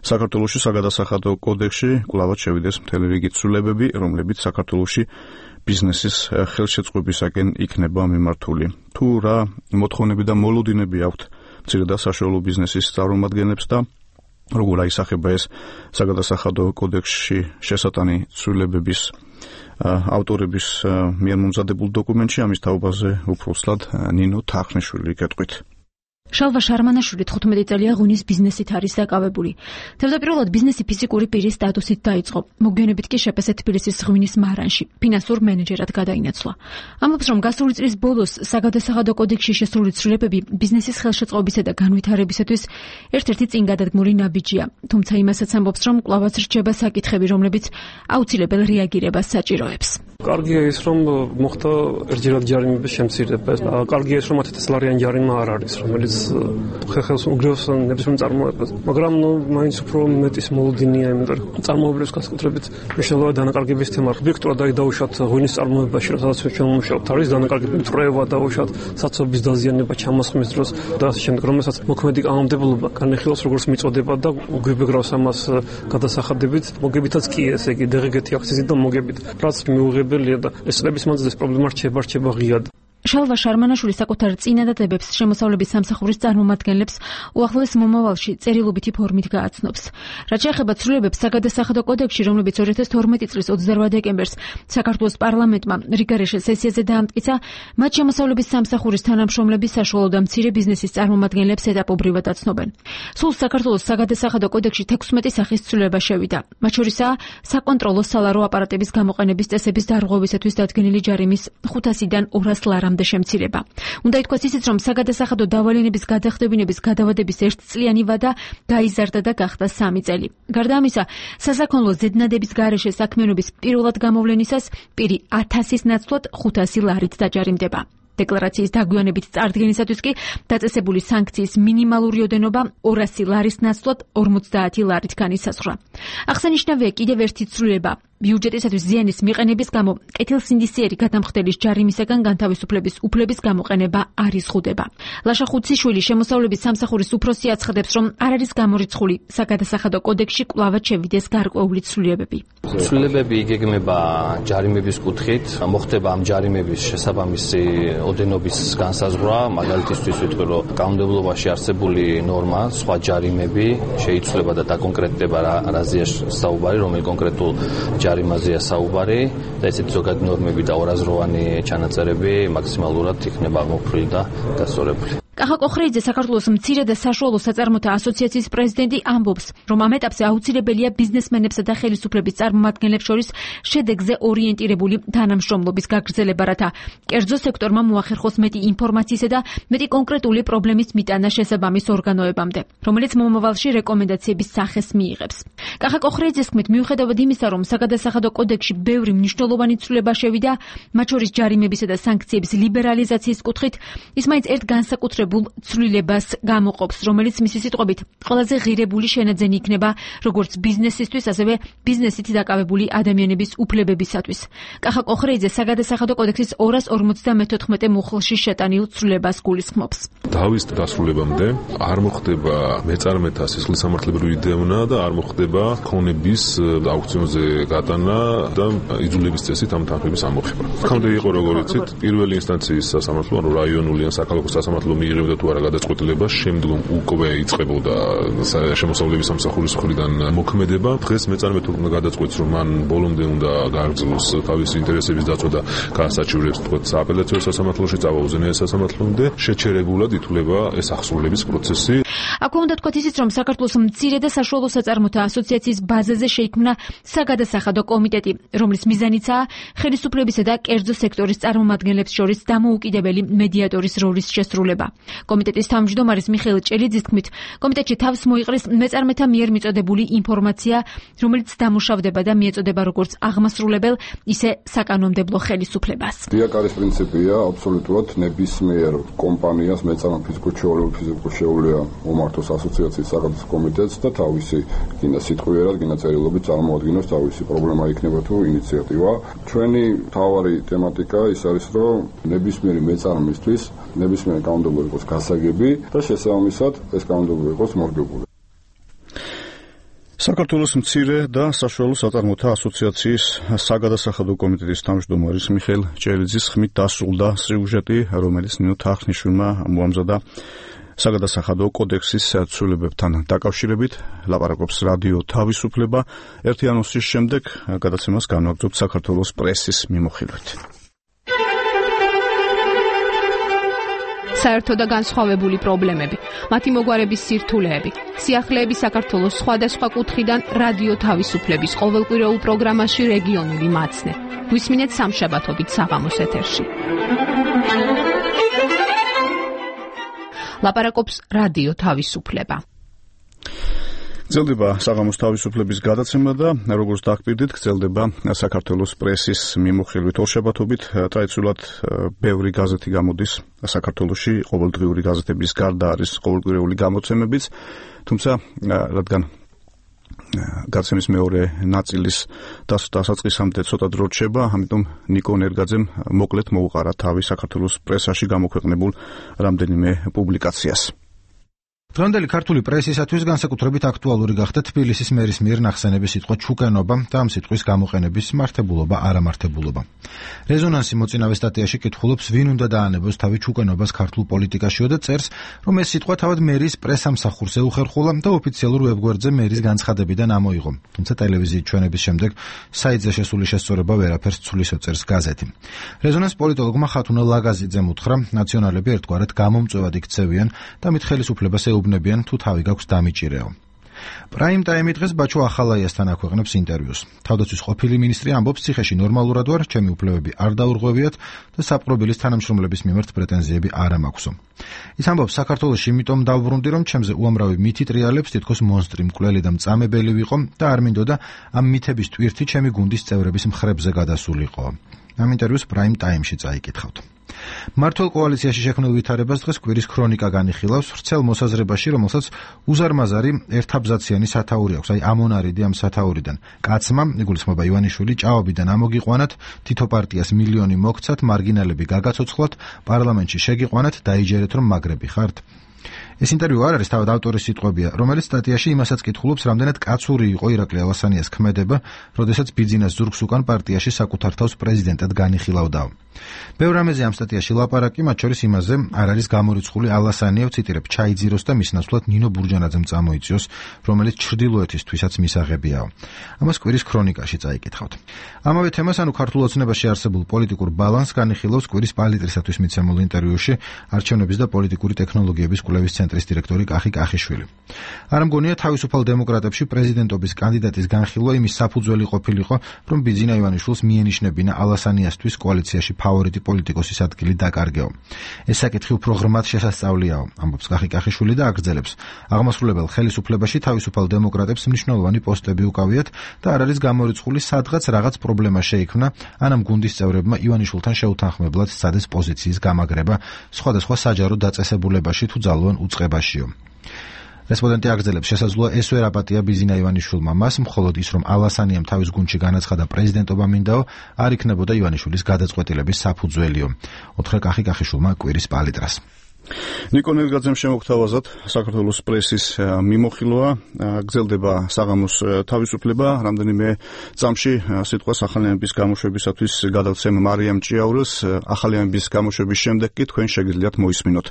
საქართველოში საგადასახადო კოდექსში კვლავაც შევიდეს მთელი რიგი ცვლილებები, რომლებიც საქართველოში ბიზნესის ხელშეწყობისაკენ იქნება მიმართული. თუ რა მოთხოვნები და მოლოდინები აქვთ მცირე და საშუალო ბიზნესის წარმომადგენლებს და როგორ აისახება ეს საგადასახადო კოდექსში შესატანი ცვლილებების ავტორების მიერ მომზადებულ დოკუმენტში, ამის თაობაზე უფრო სლად ნინო თახნიშვილი გეტყვით. შალვა შარმანაშვილი თხუთმეტი წელია ღვინის ბიზნესით არის დაკავებული. თავდაპირველად ბიზნესი ფიზიკური პირის სტატუსით დაიწყო. მოგვიანებით კი შეფასე თბილისის ღვინის მარანში ფინანსურ მენეჯერად გადაინაცვლა. ამბობს, რომ გასული წლის ბოლოს საგადასახადო კოდექსში შესული ცვლილებები ბიზნესის ხელშეწყობისა და განვითარებისათვის ერთ-ერთი წინგადადგმული ნაბიჯია. თუმცა იმასაც ამბობს, რომ კვლავაც რჩება საკითხები, რომლებიც აუცილებელ რეაგირებას საჭიროებს. კარგია ის, რომ მოხდა ერთჯერად ჯარიმების შემცირება. კარგია ის, რომ ათი წლიანი ჯარიმა არ არის, რომელიც ხელს უგრევს ნებისმიერ წარმოებას. მაგრამ ნუ მაინც უფრო მეტის მოლოდინია, იმიტომ რომ წარმოებლის განსაკუთრებით მნიშვნელოვანი დანაკარგების თემა. ობიექტურად აი დაუშვათ ღვინის წარმოებაში, სადაც ჩვენ ვმუშაობთ, არის დანაკარგები მტრევა, დაუშვათ საცობის დაზიანება ჩამოსხმის დროს და ამ შემდეგ, რომელსაც მოქმედი კანონმდებლობა განეხილავს როგორც მიწოდება და გვიბეგრავს ამას გადასახადებით. მოგებითაც კი ესე იგი დღგ-ი აქციზით და მოგებით. რაც მიუღებელია და ეს წლების მანძილზე ეს პრობლემა რჩება, რჩება ღიად. შალვა შარმანაშვილი საკუთარ წინადადებებს შემოსავლების სამსახურის წარმომადგენლებს უახლოეს მომავალში წერილობითი ფორმით გააცნობს. რაც შეეხება ცვლილებებს საგადასახადო კოდექსში, რომლებიც ორი ათას თორმეტი წლის ოცდაოთხ დეკემბერს საქართველოს პარლამენტმა რიგარეშე სესიაზე დაამტკიცა, მათ შემოსავლების სამსახურის თანამშრომლები საშუალო და მცირე ბიზნესის წარმომადგენლებს ეტაპობრივად აცნობენ. სულ საქართველოს საგადასახადო კოდექსში თექვსმეტი სახის ცვლილება შევიდა. მათ შორისაა საკონტროლო სალარო აპარატების გამოყენების წესების დარღვევისათვის დადგენილი ჯარიმის ხუთასიდან ორას ლარამდე შემცირება. უნდა ითქვას ისიც, რომ საგადასახადო დავალენების გადახდებინების გადავადების ერთწლიანი ვადა გაიზარდა და გახდა სამი წელი. გარდა ამისა, სასაქონლო ზედნადების გარეშე საქმიანობის პირველად გამოვლენისას პირი ათასის ნაცვლად ხუთასი ლარით დაჯარიმდება. დეკლარაციის დაგვიანებით წარდგენისათვის კი დაწესებული სანქციის მინიმალური ოდენობა ორასი ლარის ნაცვლად ორმოცდაათი ლარით განისაზღვრა. აღსანიშნავია კიდევ ერთი ცვლილება. ბიუჯეტისათვის ზიანის მიყენების გამო კეთილსინდისიერი გადამხდელის ჯარიმისაგან განთავისუფლების უფლების გამოყენება არ იზღუდება. ლაშა ხუციშვილი შემოსავლების სამსახურის უფროსი აცხადებს, რომ არ არის გამორიცხული საგადასახადო კოდექსში კვლავაც შევიდეს გარკვეული ცვლილებები. ცვლილებები იგეგმება ჯარიმების კუთხით, მოხდება ამ ჯარიმების შესაბამისი ოდენობის განსაზღვრა, მაგალითისთვის ვიტყვი, რომ კანონმდებლობაში არსებული ნორმა, სხვა ჯარიმები შეიცვლება და დაკონკრეტდება რაზეა საუბარი, რომელი კონკრეტულ ჯარიმაზეა საუბარი და ესეთი ზოგადი ნორმები და ორაზროვანი ჩანაწერები მაქსიმალურად იქნება აღმოფხვრილი და გასწორებული. კახა კოხრეიძე, საქართველოს მცირე და საშუალო საწარმოთა ასოციაციის პრეზიდენტი ამბობს, რომ ამ ეტაპზე აუცილებელია ბიზნესმენებსა და ხელისუფლების წარმომადგენლებს შორის შედეგზე ორიენტირებული თანამშრომლობის გაგრძელება, რათა კერძო სექტორმა მოახერხოს მეტი ინფორმაციისა და მეტი კონკრეტული პრობლემის მიტანა შესაბამის ორგანოებამდე, რომელიც მომავალში რეკომენდაციების სახეს მიიღებს. კახა კოხრეიძეს თქმით, მიუხედავად იმისა, რომ საგადასახადო კოდექსში ბევრი მნიშვნელოვანი ცვლილება შევიდა, მათ შორის ჯარიმებისა და სანქციების ლიბერალიზაციის კუთხით, ის მაინც ერთ განსაკუთრებულ ცვლილებას გამოყოფს, რომელიც მისი სიტყვებით ყველაზე ღირებული შენაძენი იქნება როგორც ბიზნესისთვის, ასევე ბიზნესით დაკავებული ადამიანების უფლებებისათვის. კახა კოხრეიძე საგადასახადო კოდექსის ორას ორმოცდამეთოთხმეტე მუხლში შეტანილ ცვლილებას გულისხმობს. დავის დასრულებამდე არ მოხდება მეწარმეთა სისხლისამართლებრივი დევნა და არ მოხდება ქონების აუქციონზე გატანა და იძულების წესით ამ თანხების ამოხება. აქამდე იყო როგორც იცით, პირველი ინსტანციის სასამართლო, ანუ რაიონული ან საქალაქო სასამართლო მიიღებდა თუ არა გადაწყვეტილებას, შემდგომ უკვე იწყებოდა შემოსავლების სამსახურის მხრიდან მოქმედება. დღეს მეწარმე თუ უნდა გადაწყვეტს, რომ მან ბოლომდე უნდა გააგრძელოს თავისი ინტერესების დაცვა და გაასაჩივრებს თქო სააპელაციო სასამართლოში, წავა უზენაეს სასამართლომდე, შეჩერებულად ითვლება ეს აღსრულების პროცესი. აქვე უნდა თქვათ ისიც, რომ საქართველოს მცირე და საშუალო საწარმოთა ასოციაციის ბაზაზე შეიქმნა საგადასახადო კომიტეტი, რომლის მიზანიცაა ხელისუფლებისა და კერძო სექტორის წარმომადგენლებს შორის დამოუკიდებელი მედიატორის როლის შესრულება. კომიტეტის თავმჯდომარის მიხეილ ჭელიძის თქმით, კომიტეტში თავს მოიყრის მეწარმეთა მიერ მიწოდებული ინფორმაცია, რომელიც დამუშავდება და მიეწოდება როგორც აღმასრულებელ, ისე საკანონმდებლო ხელისუფლებას. დიაკარის პრინციპია აბსოლუტურად ნებისმიერ კომპანიას მეწარმე ფიზიკურ ფიზიკურ შეუძლია უმართოს ასოციაციის საგადასახადო კომიტეტს და თავისი გინდა სიტყვიერად, გინდა წერილობით წარმოადგინოს თავისი პრობლემა იქნება თუ ინიციატივა. ჩვენი მთავარი თემატიკა ის არის, რომ ნებისმიერი მეწარმისთვის ნებისმიერი კანონმდებლობა იყოს გასაგები და შესაბამისად ეს კანონმდებლობა იყოს მორგებული. საქართველოს მცირე და საშუალო საწარმოთა ასოციაციის საგადასახადო კომიტეტის თავმჯდომარის მიხეილ ჭელიძის ხმით დასრულდა სიუჟეტი, რომელიც ნინო თახნიშვილმა მოამზადა საგადასახადო კოდექსის ცვლილებებთან დაკავშირებით. ლაპარაკობს რადიო თავისუფლება. ერთი ანონსის შემდეგ გადაცემას განვაგრძობთ საქართველოს პრესის მიმოხილვით. საერთო და განსხვავებული პრობლემები, მათი მოგვარების სირთულეები, სიახლეები საქართველოს სხვადასხვა კუთხიდან რადიო თავისუფლების ყოველკვირეულ პროგრამაში რეგიონული მაცნე. გვისმინეთ სამშაბათობით საღამოს ეთერში. ლაპარაკობს რადიო თავისუფლება. გრძელდება საღამოს თავისუფლების გადაცემა და როგორც დაგკვირდით, გრძელდება საქართველოს პრესის მიმოხილვით ორშაბათობით. ტრადიციულად ბევრი გაზეთი გამოდის საქართველოში, ყოველდღიური გაზეთების გარდა არის ყოველკვირეული გამოცემებიც, თუმცა რადგან გადაცემის მეორე ნაწილის დასაწყისამდე ცოტა დრო რჩება, ამიტომ ნიკო ნერგაძემ მოკლედ მოუყარა თავი საქართველოს პრესაში გამოქვეყნებულ რამდენიმე პუბლიკაციას. დღევანდელი ქართული პრესისათვის განსაკუთრებით აქტუალური გახდა თბილისის მერის მიერ ნახსენების სიტყვა ჩუკენობა და ამ სიტყვის გამოყენების მართებულობა, არამართებულობა. რეზონანსი მოწინავე სტატიაში კითხულობს, ვინ უნდა დაანებოს თავი ჩუკენობას ქართულ პოლიტიკაშიო და წერს, რომ ეს სიტყვა თავად მერის პრესამსახურს ეუხერხულა და ოფიციალურ ვებგვერდზე მერის განცხადებიდან ამოიღო. თუმცა ტელევიზიის ჩვენების შემდეგ საიტზე შესული შესწორება ვერაფერს ცვლის, წერს გაზეთი. რეზონანს პოლიტოლოგმა ხათუნა ლაგაზიძემ უთხრა, ნაციონალები ერთგვარად გამომწვევად იქცევიან და მით ხელისუფლებას უბნებიან თუ თავი გაქვს დამიჭირეო. პრაიმ ტაიმი დღეს ბაჩო ახალაიასთან აქვეყნებს ინტერვიუს. თავდაცვის ყოფილი მინისტრი ამბობს, ციხეში ნორმალურად ვარ, ჩემი უფლებები არ დაურღვევიათ და საპყრობილის თანამშრომლების მიმართ პრეტენზიები არ ამაქვსო. ის ამბობს, საქართველოში იმიტომ დავბრუნდი, რომ ჩემზე უამრავი მითი ტრიალებს, თითქოს მონსტრი, მკვლელი და მწამებელი ვიყო და არ მინდოდა ამ მითების ტვირთი ჩემი გუნდის წევრების მხრებზე გადასულიყო. ამ ინტერვიუს პრაიმ ტაიმში წაიკითხავთ. მართლ კოალიციაში შექმნილ ვითარებას დღეს კვირის ქრონიკა განიხილავს ვრცელ მოსაზრებაში, რომელსაც უზარმაზარი ერთაბზაციანი სათაური აქვს, აი ამონარიდი ამ სათაურიდან. კაცმა, იგულისხმება ივანიშვილი, ჭაობიდან ამოგიყვანათ, თითო პარტიას მილიონი მოგცათ, მარგინალები გაგაცოცხლოთ, პარლამენტში შეგიყვანათ, დაიჯერეთ რომ მაგრები ხართ. ეს ინტერვიუ არ არის თავად ავტორის სიტყვებია, რომელიც სტატიაში იმასაც კითხულობს, რამდენად კაცური იყო ირაკლი ალასანიას ქმედება, როდესაც ბიძინას ზურგს უკან პარტიაში საკუთარ თავს პრეზიდენტად განიხილავდაო. ბევრ რამეზე ამ სტატიაში ლაპარაკი, მათ შორის იმაზე, არ არის გამორიცხული ალასანია, ვციტირებ, ჩაიძიროს და მის ნაცვლად ნინო ბურჯანაძემ წამოიწიოს, რომელიც ჩრდილოეთისთვისაც მისაღებიაო. ამას კვირის ქრონიკაში წაიკითხავთ. ამავე თემას, ანუ ქართულ ოცნებაში არსებულ პოლიტიკურ ბალანსს განიხილავს კვირის პალიტრისათვის მიცემულ ინტერვიუში არჩევნების და პოლიტიკური ტექნოლოგიების კვლევის ცენტრის დირექტორი კახი კახიშვილი. არ მგონია თავისუფალ დემოკრატებში პრეზიდენტობის კანდიდატის განხილვა იმის საფუძველი ყოფილიყო, რომ ბიძინა ივანიშვილს მიენიშნებინა ალასანიასთვის კოალიციაში ფავორიტი პოლიტიკოსის ადგილი დაკარგეო. ეს საკითხი უფრო ღრმად შესასწავლიაო, ამბობს კახი კახიშვილი და აგრძელებს. აღმასრულებელ ხელისუფლებაში თავისუფალ დემოკრატებს მნიშვნელოვანი პოსტები უკავიათ და არ არის გამორიცხული, სადღაც რაღაც პრობლემა შეიქმნა, ან ამ გუნდის წევრებმა ივანიშვილთან შეუთანხმებლად სცადეს პოზიციის გამაგრება სხვადასხვა საჯარო დაწესებულებაში თუ ძალოვან უწყებაშიო. რესპონდენტი აგრძელებს, შესაძლოა ეს ვერ აპატია ბიძინა ივანიშვილმა მას, მხოლოდ ის, რომ ალასანიამ თავის გუნდში განაცხადა პრეზიდენტობა მინდაო, არ იქნებოდა ივანიშვილის გადაწყვეტილების საფუძველიო. უთხრა კახი კახიშვილმა კვირის პალიტრას. ნიკო ნერგაძემ შემოგთავაზად საქართველოს პრესის მიმოხილვა, გრძელდება საღამოს თავისუფლება, რამდენიმე წამში სიტყვას ახალი ამბის გამოშვებისათვის გადავცემ მარიამ ჭიაურელს, ახალი ამბის გამოშვების შემდეგ კი თქვენ შეგიძლიათ მოისმინოთ.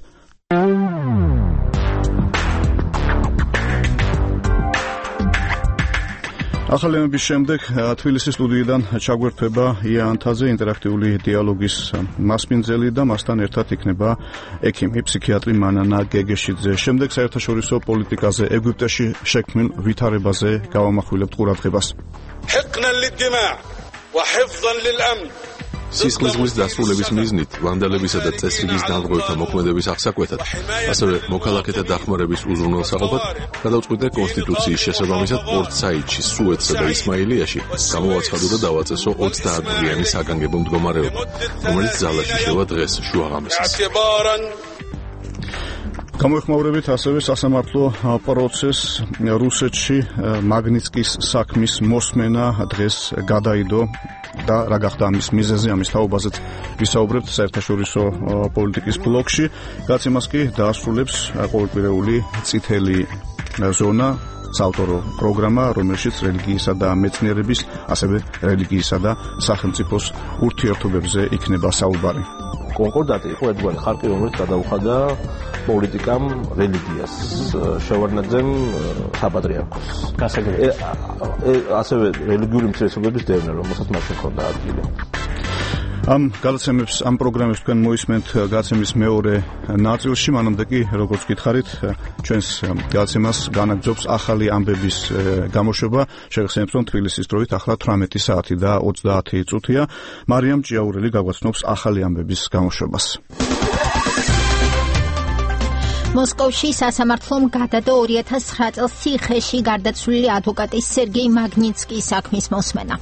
ახალი ამბის შემდეგ თბილისის სტუდიიდან ჩაგვერთვება ია ანთაძე, ინტერაქტიული დიალოგის მასპინძელი და მასთან ერთად იქნება ექიმი, ფსიქიატრი მანანა გეგეშიძე. შემდეგ საერთაშორისო პოლიტიკაზე, ეგვიპტეში შექმნილ ვითარებაზე გავამახვილებთ ყურადღებას. სისხლისღლის დასრულების მიზნით, ვანდალებისა და წესრიგის დამღვრელთა მოქმედების აღსაკვეთად, ასევე მოქალაქეთა დახმარების უზრუნველსაყოფად, გადავწყვიტე კონსტიტუციის შესაბამისად პორტ-საიდში, სუეცსა და ისმაილიაში გამოვაცხადო და დავაწესო ოცდაათწლიანი საგანგებო მდგომარეობა, რომელიც ძალაში შევა დღეს შუაღამისას. გამოეხმაურებით ასევე სასამართლო პროცესს რუსეთში მაგნიტსკის საქმის მოსმენა დღეს გადაიდო და რა გახდა ამის მიზეზი, ამის თაობაზეც ვისაუბრებთ საერთაშორისო პოლიტიკის ბლოკში. გაცემას კი დაასრულებს ყოველკვირეული წითელი ზონა, საავტორო პროგრამა, რომელშიც რელიგიისა და მეცნიერების, ასევე რელიგიისა და სახელმწიფოს ურთიერთობებზე იქნება საუბარი. კონკორდატი იყო ერთგვარი ხარკი, რომელიც გადაუხადა პოლიტიკამ რელიგიას, შევარდნაძემ საპატრიარქოს. გასაგებია. ასევე რელიგიური მცირესობების დევნა, რომელსაც მაშინ ჰქონდა ადგილი. ამ გადაცემებს ამ პროგრამებს თქვენ მოისმენთ გადაცემის მეორე ნაწილში, მანამდე კი როგორც გითხარით, ჩვენს გადაცემას განაგრძობს ახალი ამბების გამოშვება. შეგახსენებთ, რომ თბილისის დროით ახლა თვრამეტი საათი და ოცდაათი წუთია. მარიამ ჭიაურელი გაგვაცნობს ახალი ამბების გამოშვებას. მოსკოვში სასამართლომ გადადო ორი ათას ცხრა წელს ციხეში გარდაცვლილი ადვოკატის სერგეი მაგნიცკის საქმის მოსმენა.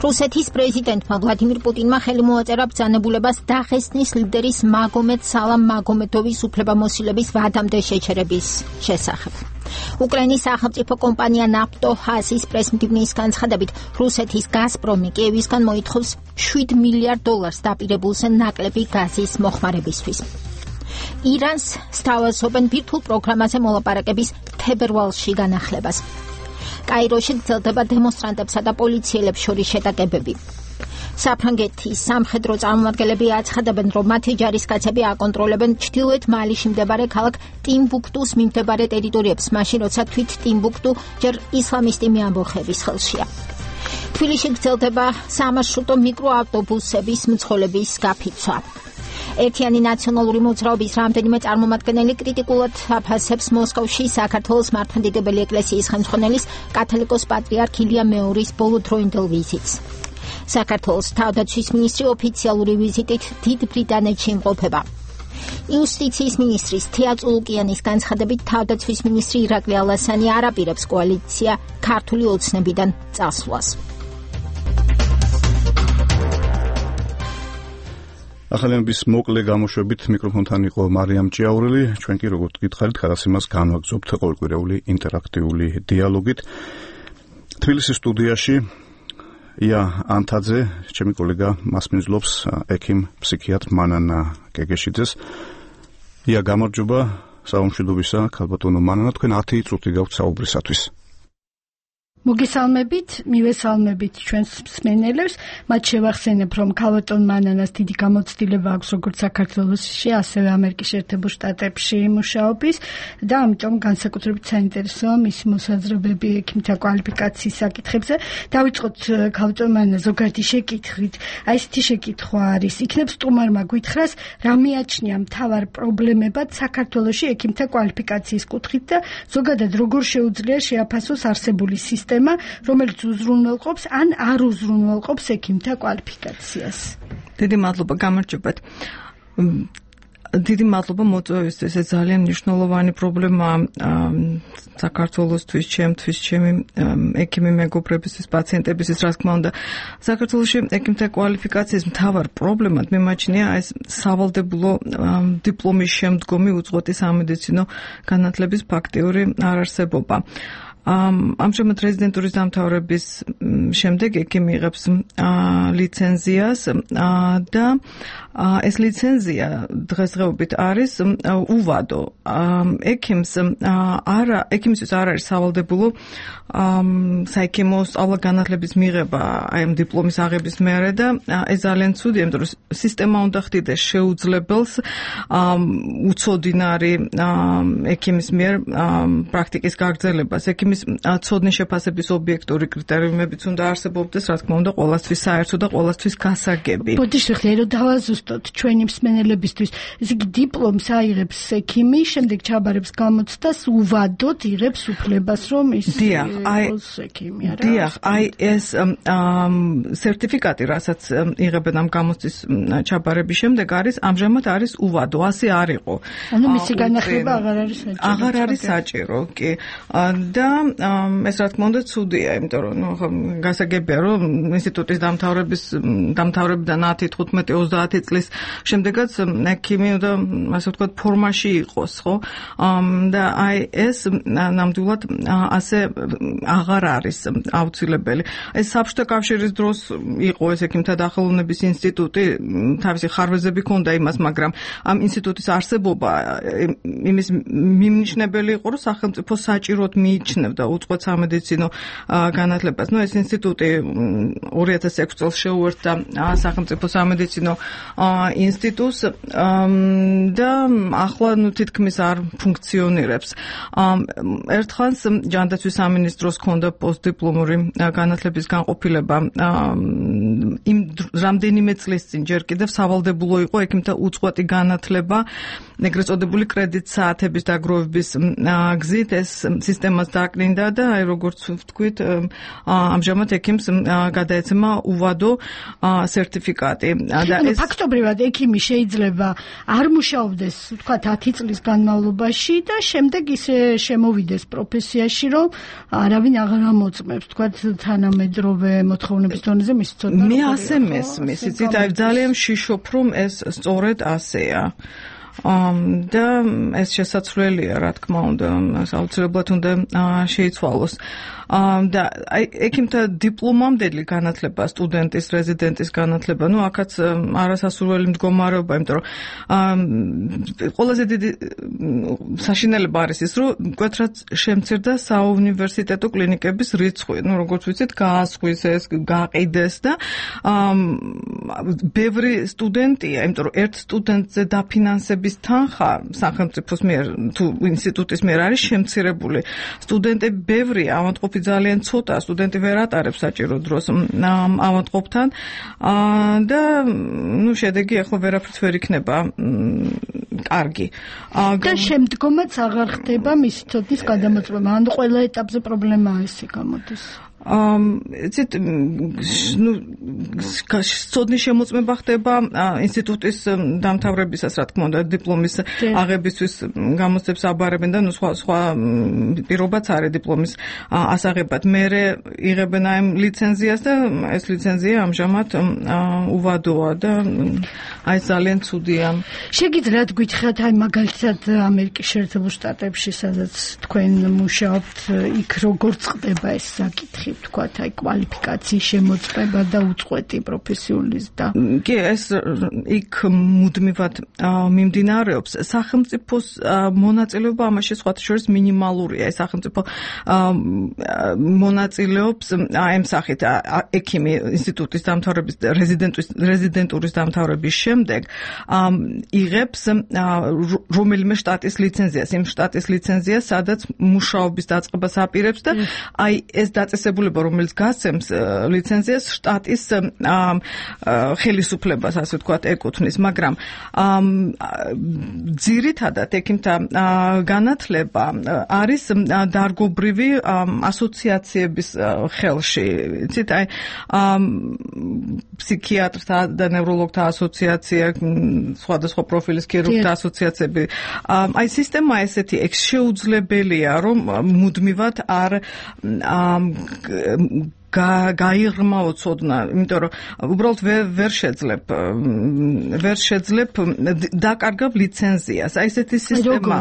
რუსეთის პრეზიდენტმა ვლადიმირ პუტინმა ხელი მოაწერა ბრძანებულებას დაღესტნის ლიდერის მაგომედ სალამ მაგომედოვის უფლებამოსილების ვადამდე შეჩერების შესახებ. უკრაინის სახელმწიფო კომპანია ნაფტოჰაზის პრესმდივნის განცხადებით, რუსეთის გაზპრომი კიევისგან მოითხოვს შვიდ მილიარდ დოლარს დაპირებულზე ნაკლები გაზის მოხმარებისთვის. ირანს სთავაზობენ ბირთვულ პროგრამაზე მოლაპარაკების თებერვალში განახლებას. კაიროში გრძელდება დემონსტრანტებსა და პოლიციელებს შორის შეტაკებები. საფრანგეთის სამხედრო წარმომადგენლები აცხადებენ, რომ მათი ჯარისკაცები აკონტროლებენ ჩრდილოეთ მალიში მდებარე ქალაქ ტიმბუქტუს მიმდებარე ტერიტორიებს, მაშინ როცა თვით ტიმბუქტუ ჯერ ისლამისტი მეამბოხების ხელშია. თბილისში გრძელდება სამარშრუტო მიკროავტობუსების მძღოლების გაფიცვა. ერთიანი ნაციონალური მოძრაობის რამდენიმე წარმომადგენელი კრიტიკულად აფასებს მოსკოვში საქართველოს მართლმადიდებელი ეკლესიის ხელმძღვანელის კათოლიკოს პატრიარქ ილია მეორის ბოლოდროინდელ ვიზიტს. საქართველოს თავდაცვის მინისტრი ოფიციალური ვიზიტით დიდ ბრიტანეთში იმყოფება. იუსტიციის მინისტრის თეა წულუკიანის განცხადებით, თავდაცვის მინისტრი ირაკლი ალასანი არ აპირებს კოალიცია ქართული ოცნებიდან წასვლას. ახალების მოკლე გამოშვებით მიკროფონთან იყო მარიამ ჭიაურელი. ჩვენ კი როგორც გითხარით, გადაცემას განვაგრძობთ ყოველკვირეული ინტერაქტიული დიალოგით. თბილისის სტუდიაში ია ანთაძე, ჩემი კოლეგა მას მიზლობს ექიმ ფსიქიატრ მანანა გეგეშიძეს. ია, გამარჯობა, საუმშვიდობისა, ქალბატონო მანანა, თქვენ ათი წუთი გაქვთ საუბრისათვის. მოგესალმებით, მივესალმებით ჩვენს მსმენელებს. მათ შევახსენებ, რომ ქალბატონ მანანას დიდი გამოცდილება აქვს როგორც საქართველოში, ასევე ამერიკის შეერთებულ შტატებში მუშაობის და ამიტომ განსაკუთრებით საინტერესოა მისი მოსაზრებები ექიმთა კვალიფიკაციის საკითხებზე. დავიწყოთ ქალბატონ მანანა ზოგადი შეკითხვით. აი ესეთი შეკითხვა არის: იქნებ სტუმარმა გითხრას, რა მიაჩნია მთავარ პრობლემებად საქართველოში ექიმთა კვალიფიკაციის კუთხით და ზოგადად როგორ შეუძლია შეაფასოს არსებული სისტემა, რომელიც უზრუნველყოფს ან არ უზრუნველყოფს ექიმთა კვალიფიკაციას. დიდი მადლობა, გამარჯობათ. დიდი მადლობა მოწვევისთვის. ეს ძალიან მნიშვნელოვანი პრობლემაა საქართველოსთვის, ჩემთვის, ჩემი ექიმი მეგობრებისთვის, პაციენტებისთვის, რა თქმა უნდა. საქართველოში ექიმთა კვალიფიკაციის მთავარ პრობლემად მიმაჩნია ეს სავალდებულო დიპლომის შემდგომი უწყვეტი სამედიცინო განათლების ფაქტიური არარსებობა. ამჟამად რეზიდენტურის დამთავრების შემდეგ ექიმი იღებს ლიცენზიას და ეს ლიცენზია დღესდღეობით არის უვადო. ექიმს არა ექიმისთვის არ არის სავალდებულო საექიმო სწავლა განათლების მიღება აი ამ დიპლომის აღების მერე და ეს ძალიან ცუდი, იმიტომ რომ სისტემა უნდა ხდიდეს შეუძლებელს უცოდინარი ექიმის მიერ პრაქტიკის გაგრძელებას. ექიმის ცოდნის შეფასების ობიექტური კრიტერიუმებიც უნდა არსებობდეს, რა თქმა უნდა, ყველასთვის საერთო და ყველასთვის გასაგები. ბოდიშ ვიხდე რომ დავაზუსტოთ ჩვენი მსმენელებისთვის. ესე იგი დიპლომს აიღებს ექიმი, შემდეგ ჩაბარებს გამოცდას, უვადოდ იღებს უფლებას, რომ ის იყოს ექიმი, არა? დიახ, აი ეს სერტიფიკატი, რასაც იღებენ ამ გამოცდის ჩაბარების შემდეგ, არის ამჟამად არის უვადო, ასე არ იყო. ანუ მისი განახლება აღარ არის საჭირო. აღარ არის საჭირო, კი. და ეს რა თქმა უნდა ცუდია, იმიტომ რომ ნუ გასაგებია, რომ ინსტიტუტის დამთავრების დამთავრებიდან ათი, თხუთმეტი, ოცდაათი წლის შემდეგაც ექიმი უნდა ასე ვთქვათ ფორმაში იყოს, ხო? და აი ეს ნამდვილად ასე აღარ არის აუცილებელი. ეს საბჭოთა კავშირის დროს იყო ეს ექიმთა დახელოვნების ინსტიტუტი, თავისი ხარვეზები ჰქონდა იმას, მაგრამ ამ ინსტიტუტის არსებობა იმის მიმნიშნებელი იყო, რომ სახელმწიფო საჭიროდ მიიჩნევდა უწყვეტ სამედიცინო განათლებას. ნუ ეს ინსტიტუტი ორი ათას ექვსი წელს შეუერთდა სახელმწიფო სამედიცინო ინსტიტუტს და ახლა ნუ თითქმის არ ფუნქციონირებს. ერთხანს ჯანდაცვის სამინისტროს ჰქონდა პოსტდიპლომური განათლების განყოფილება იმ რამდენიმე წლის წინ ჯერ კიდევ სავალდებულო იყო ექიმთა უწყვეტი განათლება, ეგრეთ წოდებული კრედიტ საათების დაგროვების გზით ეს სისტემას დაკნინდა და აი როგორც ვთქვით, ამჟამად ექიმს გადაეცემა უვადო სერტიფიკატი. და ეს ფაქტობრივად ექიმი შეიძლება არ მუშაობდეს, ვთქვათ, ათი წლის განმავლობაში და შემდეგ ისე შემოვიდეს პროფესიაში, რომ არავინ აღარ ამოწმებს, ვთქვათ, თანამედროვე მოთხოვნების დონეზე მის ცოდნა. მე ასე მესმის, იცით, აი ძალიან შიშობ, რომ ეს სწორედ ასეა. და ეს შესაძლებელია, რა თქმა უნდა, აუცილებლად უნდა შეიცვალოს. და აი ექიმთა დიპლომამდელი განათლება, სტუდენტის, რეზიდენტის განათლება, ну აქაც არასასურველი მდგომარეობა, იმიტომ რომ ყველაზე დიდი საშინელება არის ის, რომ მკვეთრად შემცირდა საუნივერსიტეტო კლინიკების რიცხვი, ну როგორც ვიცით, გაასხვის ეს, გაყიდეს და ბევრი სტუდენტია, იმიტომ რომ ერთ სტუდენტზე დაფინანსების თანხა სახელმწიფოს მიერ თუ ინსტიტუტის მიერ არის შემცირებული. სტუდენტები ბევრია, ავადმყოფი ძალიან ცოტა, სტუდენტი ვერ ატარებს საჭირო დროს ავადმყოფთან და ну შედეგი ახლა ვერაფრით ვერ იქნება კარგი. და შემდგომაც აღარ ხდება მისი ცოდნის გადამოწმება. ან ყველა ეტაპზე პრობლემაა ესე გამოდის. იცით, ну ცოდნის შემოწმება ხდება ინსტიტუტის დამთავრებისას, რა თქმა უნდა, დიპლომის აღებისთვის გამოცდებს აბარებენ და ну სხვა სხვა პირობაც არის დიპლომის ასაღებად. მერე იღებენ აი ლიცენზიას და ეს ლიცენზია ამჟამად უვადოა და აი ძალიან ცუდია. შეგიძლიათ გითხრათ აი მაგალითად ამერიკის შეერთებულ შტატებში, სადაც თქვენ მუშაობთ, იქ როგორ წყდება ეს საკითხი? ვთქვათ, აი კვალიფიკაციის შემოწმება და უწყვეტი პროფესიულის და კი, ეს იქ მუდმივად მიმდინარეობს. სახელმწიფოს მონაწილეობა ამაში სხვათა შორის მინიმალურია. ეს სახელმწიფო მონაწილეობს აი ამ სახით ექიმი ინსტიტუტის დამთავრების რეზიდენტურის დამთავრების შემდეგ იღებს რომელიმე შტატის ლიცენზიას, იმ შტატის ლიცენზიას, სადაც მუშაობის დაწყებას აპირებს და აი ეს დაწესებული რომელიც გასცემს ლიცენზიას შტატის ხელისუფლებას, ასე ვთქვათ, ეკუთვნის, მაგრამ ძირითადად ექიმთა განათლება არის დარგობრივი ასოციაციების ხელში. იცით, აი ფსიქიატრთა და ნევროლოგთა ასოციაცია, სხვადასხვა პროფილის ქირურგთა ასოციაციები. აი სისტემა ესეთი ეგ შეუძლებელია, რომ მუდმივად არ გაიღრმაო ცოდნა, იმიტომ რომ უბრალოდ ვერ შეძლებ ვერ შეძლებ დაკარგავ ლიცენზიას. აი ესეთი სისტემა.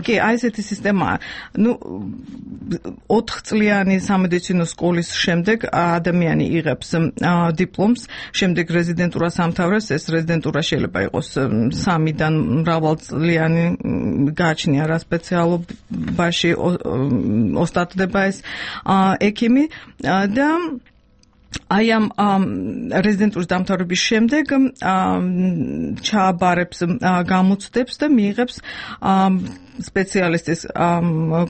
კი, აი ესეთი სისტემაა. ნუ ოთხ წლიანი სამედიცინო სკოლის შემდეგ ადამიანი იღებს დიპლომს, შემდეგ რეზიდენტურას ამთავრებს. ეს რეზიდენტურა შეიძლება იყოს სამიდან მრავალწლიანი, გააჩნია რა სპეციალობაში ოსტატდება ეს ექიმი და აი ამ რეზიდენტურის დამთავრების შემდეგ ჩააბარებს გამოცდებს და მიიღებს სპეციალისტის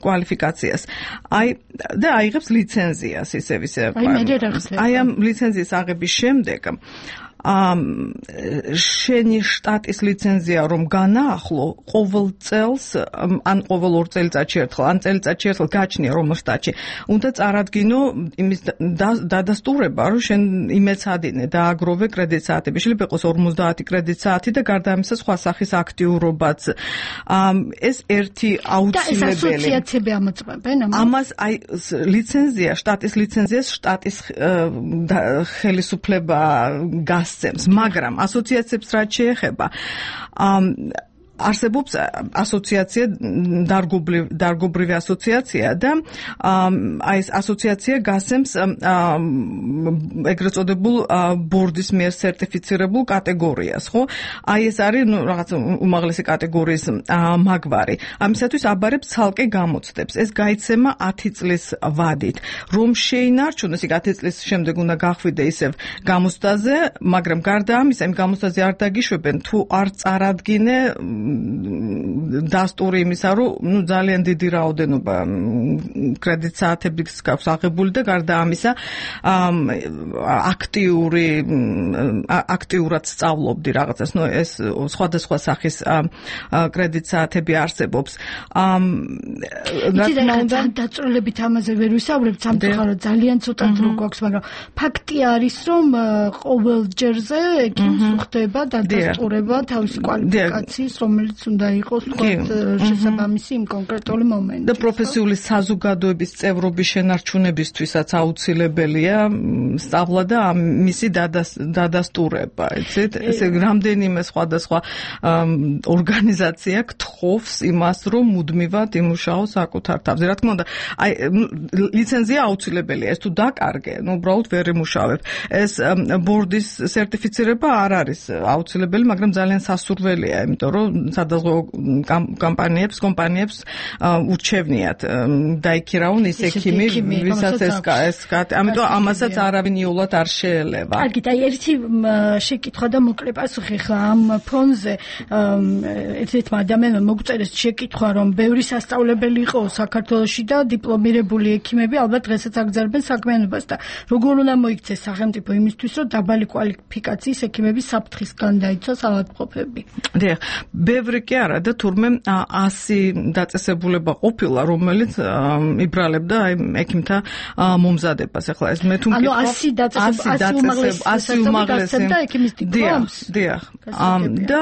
კვალიფიკაციას. აი და აიღებს ლიცენზიას ისევ ისე. აი ამ ლიცენზიის აღების შემდეგ შენი შტატის ლიცენზია რომ განაახლო, ყოველ წელს, ან ყოველ ორ წელიწადში ერთხელ, ან წელიწადში ერთხელ გაჩნია რომ შტატში, უნდა წარადგინო იმის დადასტურება, რომ შენ იმეცადინე და აგროვე კრედიტ საათები. შეიძლება იყოს ორმოცდაათი კრედიტ საათი და გარდა ამისა სხვა სახის აქტიურობაც. ეს ერთი აუცილებელი. და ეს ასოციაციები ამოწმებენ ამას? ამას აი ლიცენზია, შტატის ლიცენზიას შტატის ხელისუფლება გას მაგრამ ასოციაციებს რაც შეეხება არსებობს ასოციაცია, დარგობრივი ასოციაცია და აი ეს ასოციაცია გასცემს ეგრეთ წოდებულ ბორდის მიერ სერტიფიცირებულ კატეგორიას, ხო? აი ეს არის ნუ რაღაც უმაღლესი კატეგორიის მაგვარი. ამისათვის აბარებს ცალკე გამოცდებს. ეს გაიცემა ათი წლის ვადით. რომ შეინარჩუნოს, იქ ათი წლის შემდეგ უნდა გახვიდე ისევ გამოცდაზე, მაგრამ გარდა ამისა, იმ გამოცდაზე არ დაგიშვებენ თუ არ წარადგინე დასტური იმისა, რომ ნუ ძალიან დიდი რაოდენობა კრედიტ საათების გაქვს აღებული და გარდა ამისა აქტიური აქტიურად სწავლობდი რაღაცას. ნუ ეს სხვადასხვა სახის კრედიტ საათები არსებობს. რა თქმა უნდა, დაწვრილებით ამაზე ვერ ვისაუბრებთ, სამწუხაროდ ძალიან ცოტა დრო გვაქვს, მაგრამ ფაქტი არის, რომ ყოველ ჯერზე ეკიმს ხდება დადასტურება თავისი კვალიფიკაციის, რომელიც უნდა იყოს თქვა შესაბამისი იმ კონკრეტული მომენტში. და პროფესიული საზოგადოების წევრობის შენარჩუნებისთვისაც აუცილებელია სწავლა და მისი დადასტურება, იცით? ესე რამდენიმე სხვადასხვა ორგანიზაცია გთხოვს იმას, რომ მუდმივად იმუშაოს საკუთარ თავზე. რა თქმა უნდა, აი ლიცენზია აუცილებელია, ეს თუ დაკარგე, ნუ უბრალოდ ვერ იმუშავებ. ეს ბორდის სერტიფიცირება არ არის აუცილებელი, მაგრამ ძალიან სასურველია, იმიტომ რომ სადაზღვევო კომპანიებს, კომპანიებს ურჩევნიათ დაიქირავონ ის ექიმი, ვისაც ეს ეს ამიტომ ამასაც არავინ იულად არ შეელება. კარგი, და ერთი შეკითხვა და მოკლე პასუხი ხა ამ ფონზე ერთ-ერთმა ადამიანმა მოგწერეს შეკითხვა, რომ ბევრი სასწავლებელი იყო საქართველოში და დიპლომირებული ექიმები ალბათ დღესაც აგრძელებენ საქმიანობას და როგორ უნდა მოიქცეს სახელმწიფო იმისთვის, რომ დაბალი კვალიფიკაციის ექიმების საფრთხისგან დაიცვას ავადმყოფები. დიახ, ბევრი კი არა და თურმე ასი დაწესებულება ყოფილა, რომელიც იბრალებდა აი ექიმთა მომზადებას. ახლა ეს მე თუ მკითხავ, ანუ ასი დაწესებულება, ასი უმაღლესი და ექიმის დიპლომს. დიახ, და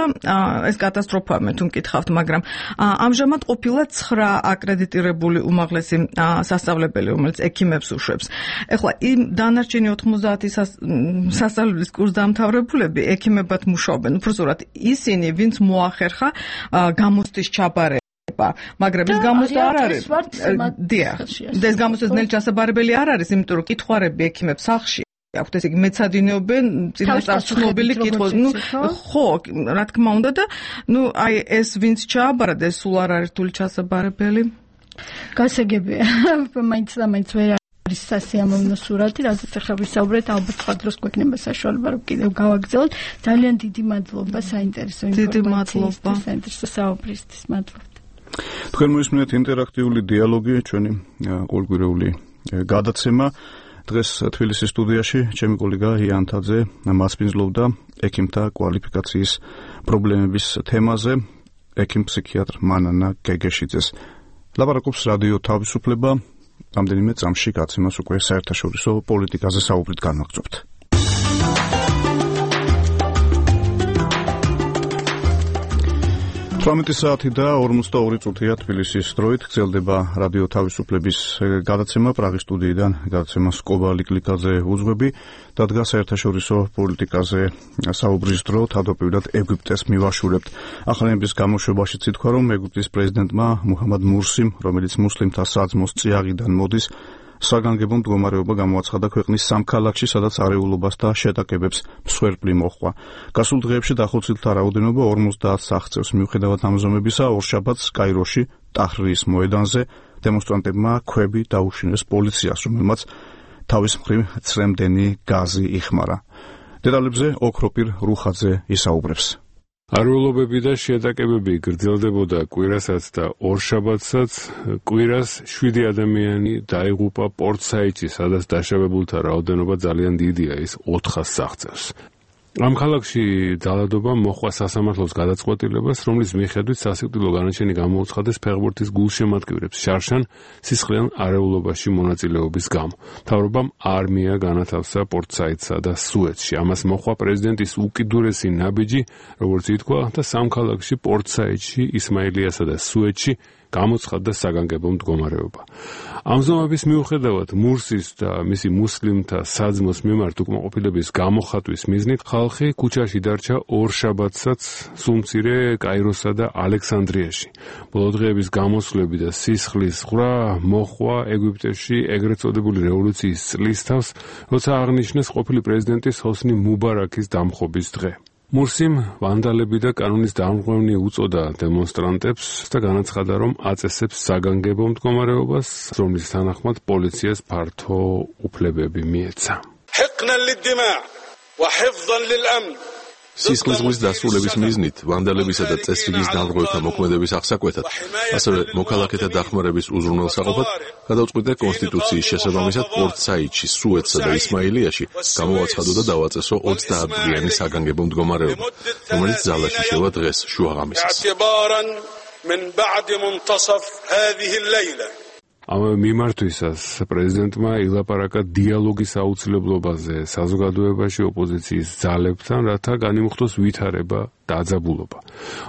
ეს კატასტროფაა მე თუ მკითხავთ, მაგრამ ამჟამად ყოფილა ცხრა აკრედიტირებული უმაღლესი სასწავლებელი, რომელიც ექიმებს უშვებს. ახლა იმ დანარჩენი ოცდაათი სასწავლებლის კურსდამთავრებულები ექიმებად მუშაობენ. უბრალოდ ისინი, ვინც მოახერხა გამოცდის ჩაბარება, მაგრამ ეს გამოცდა არ არის. დიახ, ეს გამოცდა ძნელი ჩასაბარებელი არ არის, იმიტომ რომ კითხვარები ექიმებს სახლში აქვთ, ესე იგი მეცადინეობენ წინასწარმეტყველებელი კითხვა. ნუ ხო, რა თქმა უნდა და ნუ აი ეს ვინც ჩააბარა და ეს სულ არ არის რთული ჩასაბარებელი. გასაგებია, მაინც და მაინც ვერ არის სასიამოვნო სურათი, რაზეც ახლა ვისაუბრეთ, ალბათ სხვა დროს გვექნება საშუალება, რომ კიდევ გავაგრძელოთ. ძალიან დიდი მადლობა საინტერესო ინფორმაციისთვის, საინტერესო საუბრისთვის. მადლობა. თქვენ მოისმინეთ ინტერაქტიული დიალოგი, ჩვენი ყოველკვირეული გადაცემა. დღეს თბილისის სტუდიაში ჩემი კოლეგა იანთაძე მასპინძლობდა ექიმთა კვალიფიკაციის პრობლემების თემაზე, ექიმ ფსიქიატრ მანანა გეგეშიძეს. ლაპარაკობს რადიო თავისუფლება. რამდენიმე წამში გაცემას უკვე საერთაშორისო პოლიტიკაზე საუბრით განვაგრძობთ. თვრამეტი საათი და ორმოცდაორი წუთია თბილისის დროით გრძელდება რადიო თავისუფლების გადაცემა პრაღის სტუდიიდან. გადაცემას კობა ლიკლიკაძე უძღვები. დადგა საერთაშორისო პოლიტიკაზე საუბრის დრო, თავდაპირველად ეგვიპტეს მივაშურებთ. ახალების გამოშვებაშიც ითქვა, რომ ეგვიპტის პრეზიდენტმა მუჰამად მურსიმ, რომელიც მუსლიმთა საძმოს წიაღიდან მოდის, საგანგებო მდგომარეობა გამოაცხადა ქვეყნის სამ ქალაქში, სადაც არეულობას და შეტაკებებს მსხვერპლი მოჰყვა. გასულ დღეებში დახოცილთა რაოდენობა ორმოცდაათს აღწევს. მიუხედავად ამ ზომებისა, ორშაბათს კაიროში, ტაჰრირის მოედანზე დემონსტრანტებმა ქვები დაუშინეს პოლიციას, რომელმაც თავის მხრივ ცრემდენი გაზი იხმარა. დეტალებზე ოქროპირ რუხაძე ისაუბრებს. არეულობები და შეტაკებები გრძელდებოდა კვირასაც და ორშაბათსაც. კვირას შვიდი ადამიანი დაიღუპა პორტ-საიდში, სადაც დაშავებულთა რაოდენობა ძალიან დიდია, ის ოთხას აღწევს. ამ ქალაქში ძალადობა მოჰყვა სასამართლოს გადაწყვეტილებას, რომლის მიხედვით სასიკვდილო განაჩენი გამოუცხადეს ფეხბურთის გულშემატკივრებს შარშან სისხლიან არეულობაში მონაწილეობის გამო. მთავრობამ არმია განათავსა პორტ-საიდსა და სუეცში. ამას მოჰყვა პრეზიდენტის უკიდურესი ნაბიჯი, როგორც ითქვა, და სამ ქალაქში პორტ-საიდში, ისმაილიასა და სუეცში გამოცხადდა საგანგებო მდგომარეობა. ამ ზომების მიუხედავად მურსის და მისი მუსლიმთა საძმოს მიმართ უკმაყოფილების გამოხატვის მიზნით ხალხი ქუჩაში დარჩა ორშაბათსაც სულმცირე კაიროსა და ალექსანდრიაში. ბოლო დღეების გამოსვლები და სისხლის ხრა მოჰყვა ეგვიპტეში ეგრეთ წოდებული რევოლუციის წლის თავს, როცა აღნიშნეს ყოფილი პრეზიდენტის ჰოსნი მუბარაქის დამხობის დღე. მურსიმ ვანდალები და კანონის დამღვრევნი უწოდა დემონსტრანტებს და განაცხადა, რომ აწესებს საგანგებო მდგომარეობას, რომლის თანახმად პოლიციას ფართო უფლებები მიეცა. სისხლისღლის დასრულების მიზნით, ვანდალებისა და წესრიგის დამღვრელთა მოქმედების აღსაკვეთად, ასევე მოქალაქეთა დახმარების უზრუნველსაყოფად გადავწყვიტე კონსტიტუციის შესაბამისად პორტ საიდში, სუეცსა და ისმაილიაში გამოვაცხადო და დავაწესო ოცდაათდღიანი საგანგებო მდგომარეობა, რომელიც ძალაში შევა დღეს შუაღამისას. ამ მიმართვისას პრეზიდენტმა ილაპარაკა დიალოგის აუცილებლობაზე საზოგადოებაში ოპოზიციის ძალებთან, რათა განიმუხტოს ვითარება და აძაბულობა.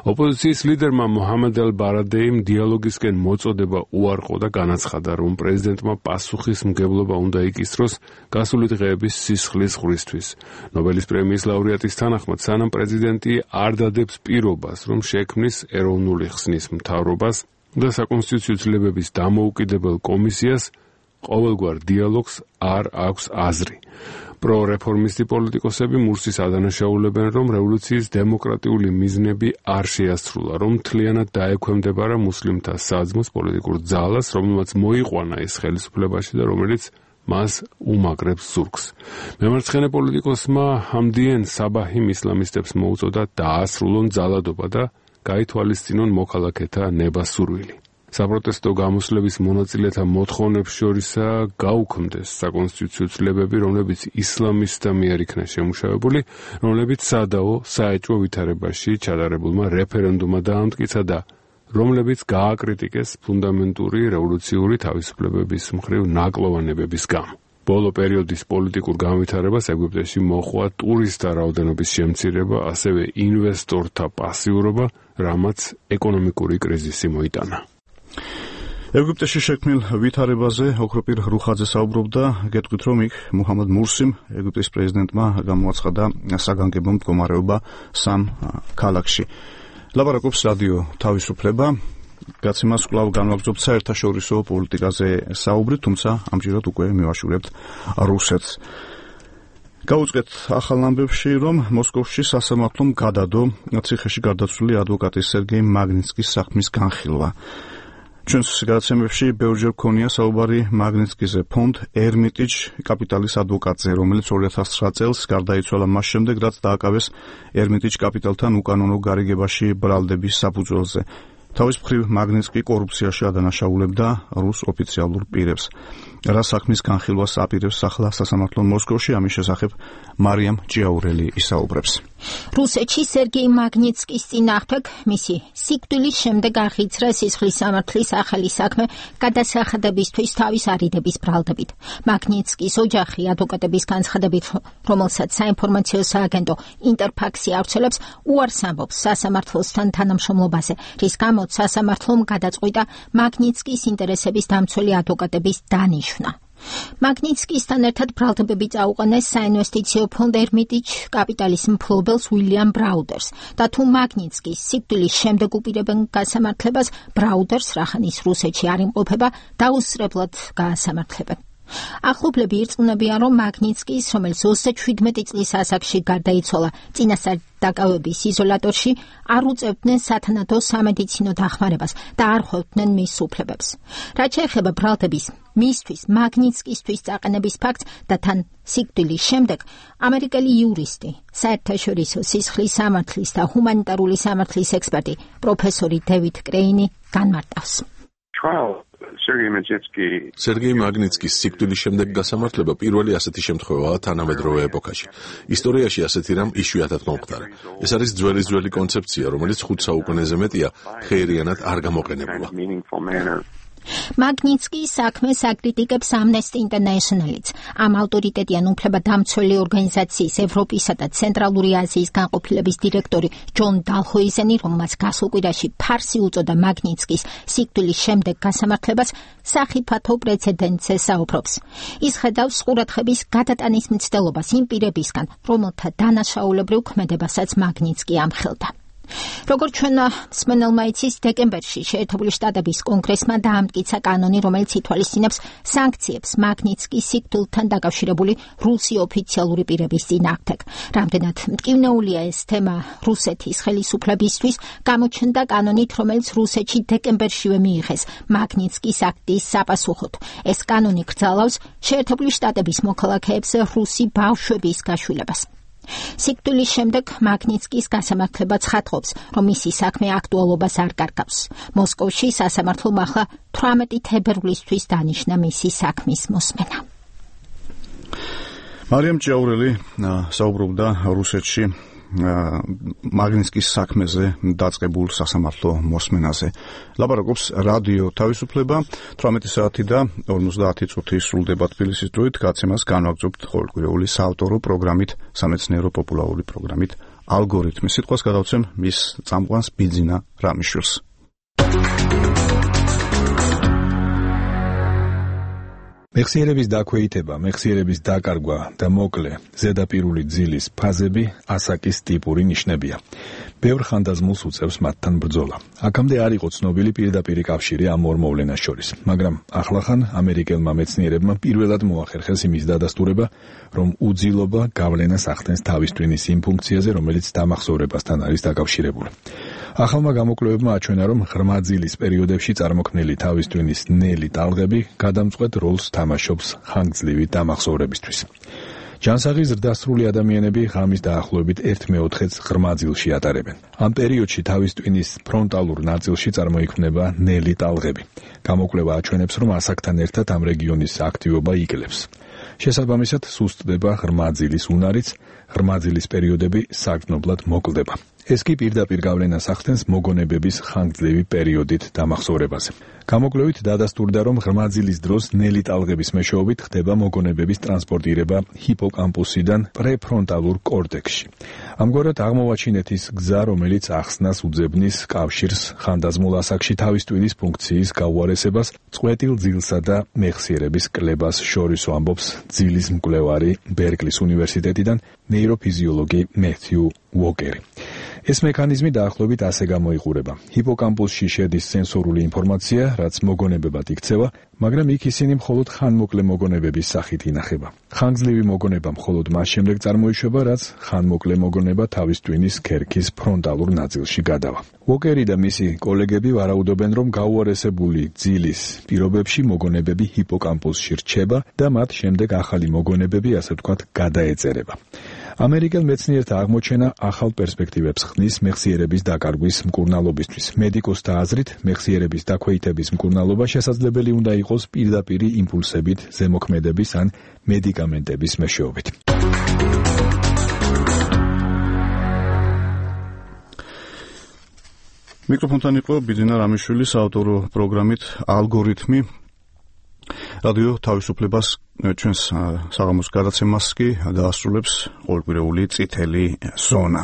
ოპოზიციის ლიდერმა მოჰამედ ალ-ბარადეიმ დიალოგისკენ მოწოდება უარყო და განაცხადა, რომ პრეზიდენტმა პასუხისმგებლობა უნდა იკისროს გასული დღეების სისხლის ღვრისთვის. ნობელის პრემიის ლაურეატის თანახმად, სანამ პრეზიდენტი არ დადებს პირობას, რომ შექმნის ეროვნული ხსნის მთავრობას და საკონსტიტუციო ცვლილებების დამოუკიდებელ კომისიას, ყოველგვარ დიალოგს არ აქვს აზრი. პრორეფორმისტი პოლიტიკოსები მურსის ადანაშაულებენ, რომ რევოლუციის დემოკრატიული მიზნები არ შეასრულა, რომ მთლიანად დაექვემდებარა მუსლიმთა საძმოს პოლიტიკურ ძალას, რომელმაც მოიყვანა ეს ხელისუფლებაში და რომელიც მას უმაგრებს ზურგს. მემარცხენე პოლიტიკოსმა ჰამდიენ საბაჰიმ ისლამისტებს მოუწოდა დაასრულონ ძალადობა და გაითვალისწინონ მოქალაქეთა ნება-სურვილი. საპროტესტო გამოსვლების მონაწილეთა მოთხოვნებს შორისაა გაუქმდეს საკონსტიტუციო ცვლილებები, რომლებიც ისლამისტთა მიერ იქნა შემუშავებული, რომლებიც სადაო საეჭვო ვითარებაში ჩატარებულმა რეფერენდუმმა დაამტკიცა და რომლებიც გააკრიტიკეს ფუნდამენტური რევოლუციური თავისუფლებების მხრივ ნაკლოვანებების გამო. ბოლო პერიოდის პოლიტიკურ განვითარებას ეგვიპტეში მოჰყვა ტურისტთა რაოდენობის შემცირება, ასევე ინვესტორთა პასიურობა, რამაც ეკონომიკური კრიზისი მოიტანა. ეგვიპტეში შექმნილ ვითარებაზე ოქროპირ რუხაძე საუბრობდა, გეტყვით, რომ იქ მუჰამად მურსიმ, ეგვიპტის პრეზიდენტმა გამოაცხადა საგანგებო მდგომარეობა სამ ქალაქში. ლაპარაკობს რადიო თავისუფლება. გაცემას კვლავ განვაგრძობთ საერთაშორისო პოლიტიკაზე საუბრი, თუმცა ამჯერად უკვე მივაშურებთ რუსეთს. გაუწყვეთ ახალ ამბებში, რომ მოსკოვში სასამართლომ გადადო ციხეში გარდაცვლილი ადვოკატის სერგეი მაგნიცკის საქმის განხილვა. ჩვენს გადაცემებში ბევრჯერ გქონია საუბარი მაგნიცკიზე ფონდ ერმიტიჯ კაპიტალის ადვოკატზე, რომელიც ორი ათას ცხრა წელს გარდაიცვალა მას შემდეგ, რაც დააკავეს ერმიტიჯ კაპიტალთან უკანონო გარიგებაში ბრალდების საფუძველზე. თავის მხრივ მაგნიცკი კორუფციაში ადანაშაულებდა რუს ოფიციალურ პირებს. რა საქმის განხილვას აპირებს ახლა სასამართლო მოსკოვში, ამის შესახებ მარიამ ჭიაურელი ისაუბრებს. რუსეთში სერგეი მაგნიცკის წინააღმდეგ მისი სიკვდილის შემდეგ აღიძრა სისხლის სამართლის ახალი საქმე გადასახადებისთვის თავის არიდების ბრალდებით. მაგნიცკის ოჯახი ადვოკატების განცხადებით, რომელსაც საინფორმაციო სააგენტო ინტერფაქსი ავრცელებს, უარს ამბობს სასამართლოსთან თანამშრომლობაზე, რის გამოც სასამართლომ გადაწყვიტა მაგნიცკის ინტერესების დამცველი ადვოკატების დანიშვნა. მაგნიცკისთან ერთად ბრალდებები წაუყენეს საინვესტიციო ფონდ ერმიტიჯ კაპიტალის მფლობელს უილიამ ბრაუდერს და თუ მაგნიცკის სიკვდილის შემდეგ უპირებენ გასამართლებას, ბრაუდერს, რახანის რუსეთში არ იმყოფება, დაუსწრებლად გაასამართლებენ. ახლობლები ირწმუნებიან, რომ მაგნიცკის, რომელიც ოცდაშვიდმეტი წლის ასაკში გარდაიცვალა წინასწარ დაკავების იზოლატორში, არ უწევდნენ სათანადო სამედიცინო დახმარებას და არ ხვევდნენ მის უფლებებს. რაც შეეხება ბრალდების მისთვის მაგნიცკისთვის წაყენების ფაქტს და თან სიკვდილის შემდეგ, ამერიკელი იურისტი, საერთაშორისო სისხლის სამართლის და ჰუმანიტარული სამართლის ექსპერტი პროფესორი დევიდ კრეინი განმარტავს. სერგეი მაგნიცკის სიკვდილის შემდეგ გასამართლება პირველი ასეთი შემთხვევაა თანამედროვე ეპოქაში. ისტორიაში ასეთი რამ იშვიათად მომხდარა. ეს არის ძველი ძველი კონცეფცია, რომელიც ხუთ საუკუნეზე მეტია ხეირიანად არ გამოყენებულა. მაგნიცკის საქმეს აკრიტიკებს Amnesty International-იც. ამ ავტორიტეტიან უფლებადამცველი ორგანიზაციის ევროპისა და ცენტრალური აზიის განყოფილების დირექტორი ჯონ დალჰოიზენი, რომელმაც გასულ კვირაში ფარსი უწოდა მაგნიცკის სიკვდილის შემდეგ გასამართლებას, სახიფათო პრეცედენტზე საუბრობს. ის ხედავს ყურადღების გადატანის მცდელობას იმ პირებისგან, რომელთა დანაშაულებრივ ქმედებასაც მაგნიცკი ამხელდა. როგორც ჩვენ მსმენელმა იცის, დეკემბერში შეერთებული შტატების კონგრესმა დაამტკიცა კანონი, რომელიც ითვალისწინებს სანქციებს მაგნიცკის სიკვდილთან დაკავშირებული რუსი ოფიციალური პირების წინააღმდეგ. რამდენად მტკივნეულია ეს თემა რუსეთის ხელისუფლებისთვის, გამოჩნდა კანონით, რომელიც რუსეთში დეკემბერშივე მიიღეს მაგნიცკის აქტის საპასუხოდ. ეს კანონი კრძალავს შეერთებული შტატების მოქალაქეებს რუსი ბავშვების გაშვილებას. სიკვდილის შემდეგ მაგნიცკის გასამართლება ცხადყოფს, რომ მისი საქმე აქტუალობას არ კარგავს. მოსკოვში სასამართლომ ახლა თვრამეტი თებერვლისთვის დანიშნა მისი საქმის მოსმენა. მარიამ ჭიაურელი საუბრობდა რუსეთში მაგნიცკის საქმეზე დაწყებულ სასამართლო მოსმენაზე. ლაპარაკობს რადიო თავისუფლება. თვრამეტი საათი და ორმოცდაათი წუთი სრულდება თბილისის დროით. გაცემას განვაგრძობთ ყოველკვირეული საავტორო პროგრამით, სამეცნიერო პოპულარული პროგრამით ალგორითმი. სიტყვას გადავცემ მის წამყვანს ბიძინა რამიშვილს. მეხსიერების დაქვეითება, მეხსიერების დაკარგვა და მოკლე ზედაპირული ძილის ფაზები ასაკის ტიპური ნიშნებია. ბევრ ხანდაზმულს უწევს მათთან ბრძოლა. აქამდე არ იყო ცნობილი პირდაპირი კავშირი ამ ორ მოვლენას შორის, მაგრამ ახლახან ამერიკელმა მეცნიერებმა პირველად მოახერხეს იმის დადასტურება, რომ უძილობა გავლენას ახდენს თავის ტვინის იმ ფუნქციაზე, რომელიც დამახსოვრებასთან არის დაკავშირებული. ახალმა გამოკვლევებმა აჩვენა, რომ ღრმა ძილის პერიოდებში წარმოქმნილი თავის ტვინის ნელი ტალღები გადამწყვეტ როლს თამაშობს ხანგრძლივი დამახსოვრებისთვის. ჯანსაღი ზრდასრული ადამიანები ღამის დაახლოებით ერთ მეოთხედს ღრმა ძილში ატარებენ. ამ პერიოდში თავის ტვინის ფრონტალურ ნაწილში წარმოიქმნება ნელი ტალღები. გამოკვლევა აჩვენებს, რომ ასაკთან ერთად ამ რეგიონის აქტივობა იკლებს. შესაბამისად, სუსტდება ღრმა ძილის უნარიც, ღრმა ძილის პერიოდები საგრძნობლად მოკლდება. ეს კი პირდაპირ გავლენას ახდენს მოგონებების ხანგრძლივი პერიოდით დამახსოვრებაზე. გამოკვლევით დადასტურდა, რომ ღრმა ძილის დროს ნელი ტალღების მეშვეობით ხდება მოგონებების ტრანსპორტირება ჰიპოკამპუსიდან პრეფრონტალურ კორტექსში. ამგვარად აღმოვაჩინეთ ის გზა, რომელიც ახსნას უძებნის კავშირს ხანდაზმულ ასაკში თავის ტვინის ფუნქციის გაუარესებას, წყვეტილ ძილსა და მეხსიერების კლებას შორისო, ამბობს ძილის მკვლევარი ბერკლის უნივერსიტეტიდან ნეიროფიზიოლოგი მეთიუ უოკერი. ეს მექანიზმი დაახლოებით ასე გამოიყურება. ჰიპოკამპუსში შედის სენსორული ინფორმაცია, რაც მოგონებებად იქცევა, მაგრამ იქ ისინი მხოლოდ ხანმოკლე მოგონებების სახით ინახება. ხანგრძლივი მოგონება მხოლოდ მას შემდეგ წარმოიშვება, რაც ხანმოკლე მოგონება თავის ტვინის ქერქის ფრონტალურ ნაწილში გადავა. უოკერი და მისი კოლეგები ვარაუდობენ, რომ გაუარესებული ძილის პირობებში მოგონებები ჰიპოკამპუსში რჩება და მათ შემდეგ ახალი მოგონებები, ასე ვთქვათ, გადაეწერება. ამერიკელ მეცნიერთა აღმოჩენა ახალ პერსპექტივებს ხნის მეხსიერების დაკარგვის მკურნალობისთვის. მედიკოსთა აზრით, მეხსიერების დაქვეითების მკურნალობა შესაძლებელი უნდა იყოს პირდაპირი იმპულსებით, ზემოქმედების ან მედიკამენტების მეშვეობით. მიკროფონთან იყო ბიძინა რამიშვილი საავტორო პროგრამით ალგორითმი. რადიო თავისუფლებას ჩვენს საღამოს გადაცემას კი დაასრულებს ყოველკვირეული წითელი ზონა.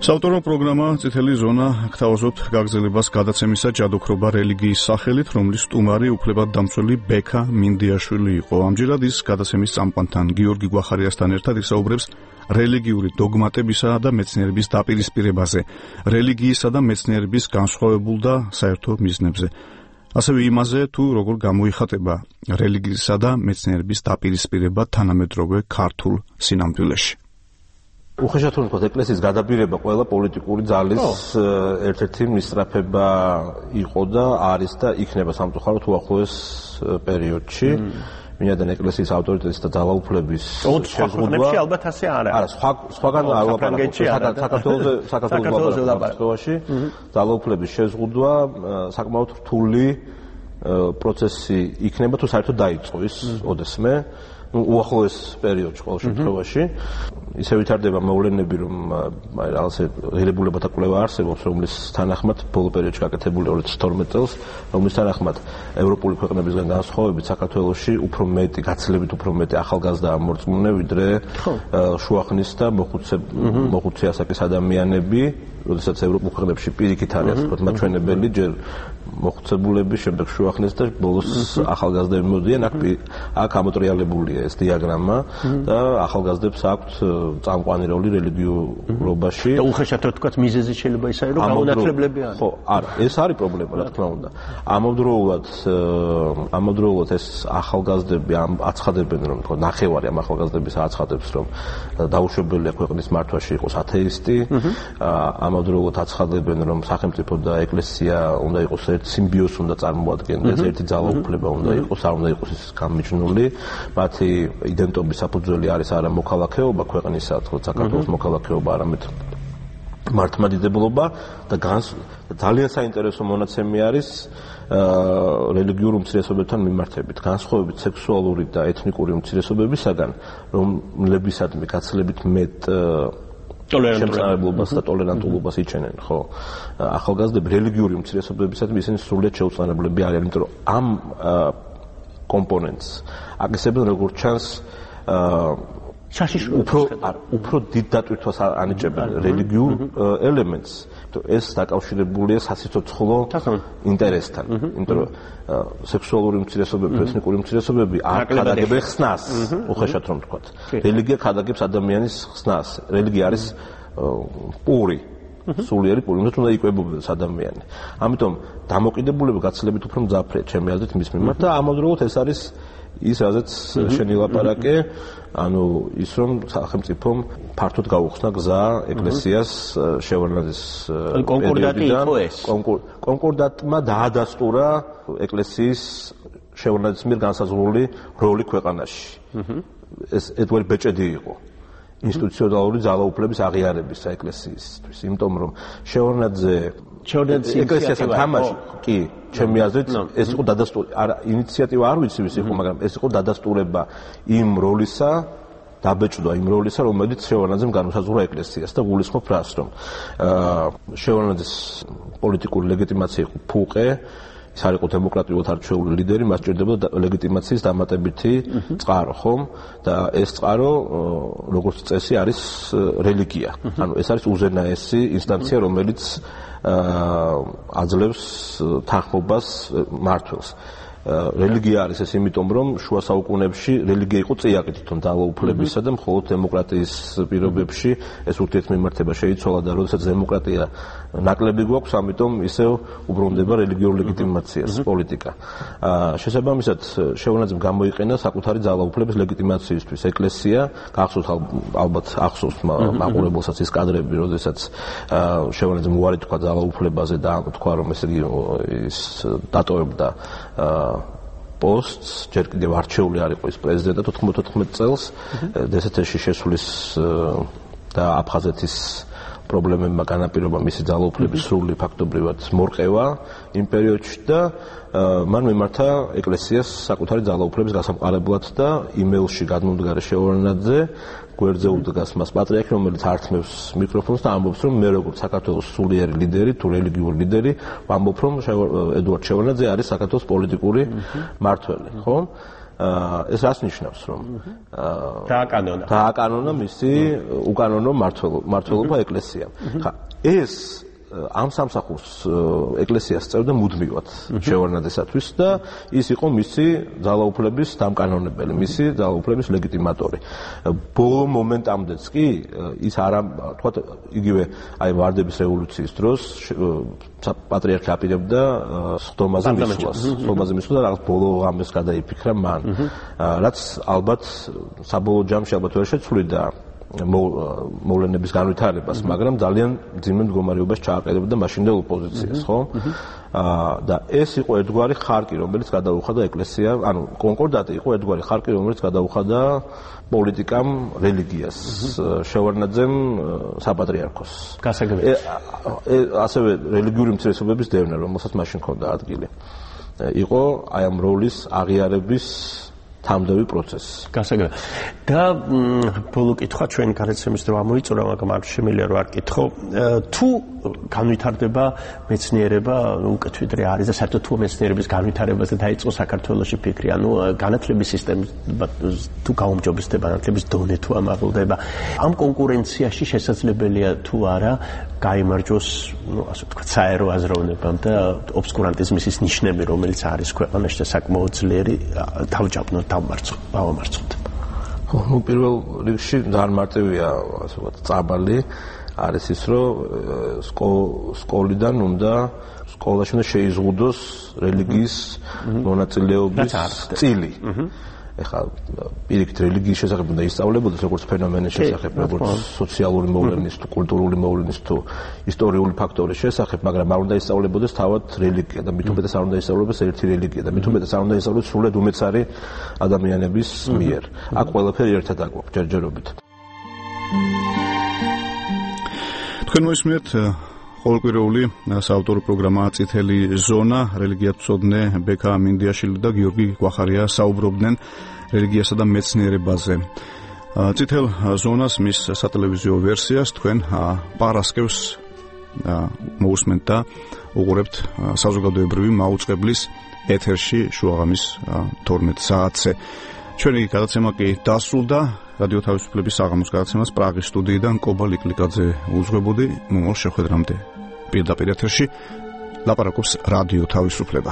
საავტორო პროგრამა წითელი ზონა გთავაზობთ გაგრძელებას გადაცემისა ჯადოქრობა რელიგიის სახელით, რომლის სტუმარი უფლებადდამცველი ბექა მინდიაშვილი იყო. ამჯერად ის გადაცემის წამყვანთან გიორგი გვახარიასთან ერთად ისაუბრებს რელიგიური დოგმატებისა და მეცნიერების დაპირისპირებაზე, რელიგიისა და მეცნიერების განსხვავებულ და საერთო მიზნებზე. ასევე იმაზე, თუ როგორ გამოიხატება რელიგიისა და მეცნიერების დაპირისპირება თანამედროვე ქართულ სინამდვილეში. უხეშად რომ ვთქვათ, ეკლესიის გადაბირება ყველა პოლიტიკური ძალის ერთ-ერთი მისწრაფება იყო და არის და იქნება სამწუხაროდ უახლოეს პერიოდში. მინდან ეკლესიის ავტორიტეტის და ძალაუფლების შეზღუდვა ალბათ ასე არ არის. არა, სხვა სხვაგან არ ვაპარაკობ. საქართველოზე საქართველოზე ლაპარაკობაში ძალაუფლების შეზღუდვა საკმაოდ რთული პროცესი იქნება, თუ საერთოდ დაიწყო ის ოდესმე. უახლოეს პერიოდში ყოველ შემთხვევაში ისე ვითარდება მოვლენები, რომ აი რაღაცა ღირებულებათა კვლევა არსებობს, რომლის თანახმად ბოლო პერიოდში გაკეთებული ორი ათას თორმეტ წელს, რომლის თანახმად ევროპული ქვეყნებისგან განსხვავებით საქართველოში უფრო მეტი, გაცილებით უფრო მეტი ახალგაზრდა ამორწმუნე, ვიდრე შუახნის და მოხუცე მოხუცე ასაკის ადამიანები, როდესაც ევროპულ ქვეყნებში პირიქით არის ასე ვთქვათ მაჩვენებელი, ჯერ მოხუცებულები, შემდეგ შუახნის და ბოლოს ახალგაზრდები მოდიან, აქ აქ ამოტრიალებულია ეს დიაგრამა და ახალგაზრდებს აქვთ წამყვანი როლი რელიგიურობაში. და უხეშად რო თქვა მიზეზი შეიძლება ისაა რომ გაუნათლებლები არის. ხო, არა, ეს არის პრობლემა, რა თქმა უნდა. ამავდროულად ამავდროულად ეს ახალგაზრდები აცხადებენ რომ თქო ნახევარი ამ ახალგაზრდების აცხადებს რომ დაუშვებელია ქვეყნის მართვაში იყოს ათეისტი. ამავდროულად აცხადებენ რომ სახელმწიფო და ეკლესია უნდა იყოს ერთ სიმბიოზს უნდა წარმოადგენდეს, ერთი ძალაუფლება უნდა იყოს, არ უნდა იყოს ის გამიჯნული. მათი იდენტობის საფუძველი არის არა მოქალაქეობა ქვეყნისა, თქო საქართველოს მოქალაქეობა, არამედ მართლმადიდებლობა და ძალიან საინტერესო მონაცემი არის რელიგიურ უმცირესობებთან მიმართებით, განსხვავებით სექსუალური და ეთნიკური უმცირესობებისაგან, რომლებისადმი გაცილებით მეტ შემწყნარებლობას და ტოლერანტულობას იჩენენ, ხო? ახალგაზრდები რელიგიური უმცირესობებისადმი ისინი სრულიად შეუწყნარებლები არიან, იმიტომ რომ ამ კომპონენტს აკისრებენ როგორც ჩანს უფრო უფრო დიდ დატვირთვას ანიჭებენ რელიგიურ ელემენტს, ეს დაკავშირებულია სასიცოცხლო ინტერესთან, იმიტომ რომ სექსუალური უმცირესობები, ეთნიკური უმცირესობები არ ხადაგებენ ხსნას, უხეშად რომ ვთქვათ. რელიგია ხადაგებს ადამიანის ხსნას. რელიგია არის პური, სულიერი პური, უნდა უნდა იკვებებოდეს ადამიანი. ამიტომ დამოკიდებულება გაცილებით უფრო მძაფრია ჩემი აზრით მის მიმართ და ამავდროულად ეს არის ის რაზეც შენი ლაპარაკე, ანუ ის რომ სახელმწიფომ ფართოდ გაუხსნა გზა ეკლესიას შევარდნაძის კონკორდატი იყო ეს. კონკორდატმა დაადასტურა ეკლესიის შევარდნაძის მიერ განსაზღვრული როლი ქვეყანაში. ეს ედვარდ ბეჭედი იყო ინსტიტუციონალური ძალაუფლების აღიარების საეკლესიისთვის, იმიტომ რომ შევარდნაძე ეკლესიასთან თამაში კი ჩემი აზრით ეს იყო დადასტურება, არა ინიციატივა არ ვიცი ვის იყო, მაგრამ ეს იყო დადასტურება იმ როლისა, დაბეჭდვა იმ როლისა, რომელიც შევარდნაძემ განუსაზღვრა ეკლესიას და გულისხმობ რას, რომ შევარდნაძის პოლიტიკური ლეგიტიმაცია იყო ფუყე, ის არ იყო დემოკრატიულად არჩეული ლიდერი, მას სჭირდებოდა ლეგიტიმაციის დამატებითი წყარო, ხომ? და ეს წყარო, როგორც წესი, არის რელიგია. ანუ ეს არის უზენაესი ინსტანცია, რომელიც აძლევს თანხმობას მმართველს. რელიგია არის ეს იმიტომ, რომ შუა საუკუნეებში რელიგია იყო წიაღი თვითონ ძალაუფლებისა და მხოლოდ დემოკრატიის პირობებში ეს ურთიერთმემართება შეიცვალა და როდესაც დემოკრატია ნაკლები გვაქვს, ამიტომ ისევ უბრუნდება რელიგიურ ლეგიტიმაციას პოლიტიკა. შესაბამისად, შევარდნაძემ გამოიყენა საკუთარი ძალაუფლების ლეგიტიმაციისთვის ეკლესია, გახსოვთ ალბათ ახსოვს მაყურებელსაც ის კადრები, როდესაც შევარდნაძემ უარი თქვა ძალაუფლებაზე და თქვა, რომ ესე იგი ის დატოვებდა პოსტს, ჯერ კიდევ არჩეული არ იყო ის პრეზიდენტად ოთხმოცდაოთხმეტ წელს, დსთ-ში შესulis და აფხაზეთის პრობლემებმა განაპირობა მისი ძალაუფლების სრული ფაქტობრივად მორყევა იმ პერიოდში და მან მიმართა ეკლესიას საკუთარი ძალაუფლების გასამყარებლად და იმეილში გადმომდგარი შევარდნაძე გვერდზე უდგას მას პატრიარქი, რომელიც ართმევს მიკროფონს და ამბობს, რომ მე როგორც საქართველოს სულიერი ლიდერი, თუ რელიგიური ლიდერი, ვამბობ, რომ ედუარდ შევარდნაძე არის საქართველოს პოლიტიკური მმართველი, ხო? ეს რას ნიშნავს, რომ დააკანონა დააკანონა მისი უკანონო მმართველობა ეკლესიამ. ხა ეს ამ სამსახურს ეკლესიას წევდა მუდმივად შევარდნაძესათვის და ის იყო მისი ძალაუფლების დამკანონებელი, მისი ძალაუფლების ლეგიტიმატორი. ბოლო მომენტამდეც კი ის არა, თქვათ, იგივე აი ვარდების რევოლუციის დროს პატრიარქი აპირებდა სხდომაზე მისვლას, სხდომაზე მისვლა და რაღაც ბოლო ამას გადაიფიქრა მან, რაც ალბათ საბოლოო ჯამში ალბათ ვერ შეცვლიდა მოვლენების განვითარებას, მაგრამ ძალიან ძიმე მდგომარეობას ჩააყენებდა მაშინდელ ოპოზიციას, ხო? და ეს იყო ერთგვარი ხარკი, რომელიც გადაუხადა ეკლესია, ანუ კონკორდატი იყო ერთგვარი ხარკი, რომელიც გადაუხადა პოლიტიკამ რელიგიას, შევარდნაძემ საპატრიარქოს. გასაგებია. ასევე რელიგიური უმცირესობების დევნა, რომელსაც მაშინ ჰქონდა ადგილი. იყო აი ამ როლის აღიარების თამდევი პროცესი. გასაგებია. და ბოლო კითხვა ჩვენი გადაცემის დრო ამოიწურა, მაგრამ არ შემიძლია რომ არ კითხო, თუ განვითარდება მეცნიერება, უკეთვიდრე არის და საერთოდ თუ მეცნიერების განვითარებაზე დაიწყო საქართველოში ფიქრი, ანუ განათლების სისტემა თუ გაუმჯობესდება, განათლების დონე თუ ამაღლდება, ამ კონკურენციაში შესაძლებელია თუ არა გაიმარჯვოს, ну, ასე ვთქვათ, საერო აზროვნებამ და ობსკურანტიზმის ის ნიშნები, რომელიც არის ქვეყანაში და საკმაოდ ძლიერი თავჯაბნო დავმარცხო, დავამარცხოთ. ხო, ну პირველ რიგში ძალიან მარტივია, ასე ვთქვათ, წაბალი არის ის, რომ სკოლიდან უნდა სკოლაში უნდა შეიზღუდოს რელიგიის მონაწილეობის წილი. ეხლა პირიქით რელიგიის შესახებ უნდა ისწავლებოდეს როგორც ფენომენის შესახებ, როგორც სოციალური მოვლენის თუ კულტურული მოვლენის თუ ისტორიული ფაქტორის შესახებ, მაგრამ არ უნდა ისწავლებოდეს თავად რელიგია და მით უმეტეს არ უნდა ისწავლebes ერთი რელიგია და მით უმეტეს არ უნდა ისწავლოს სრულად უმეცარი ადამიანების მიერ. აქ ყველაფერი ერთად აგვაქვს ჯერჯერობით. თქვენ მოისმენთ ყოველკვირეული საავტორო პროგრამა წითელი ზონა, რელიგიათმცოდნე ბექა მინდიაშვილი და გიორგი გვახარია საუბრობდნენ რელიგიასა და მეცნიერებაზე. წითელ ზონას მის სატელევიზიო ვერსიას თქვენ პარასკევს მოусმენთ და უყურებთ საზოგადოებრივი მაუწყებლის ეთერში შუაღამის თორმეტ საათზე. ჩვენი გადაცემა კი დასრულდა. რადიო თავისუფლების საღამოს გადაცემას პრაღის სტუდიიდან კობა ლიკლიკაძე უძღვებოდი. მომავალ შეხვედრამდე პირდაპირ ეთერში ლაპარაკობს რადიო თავისუფლება.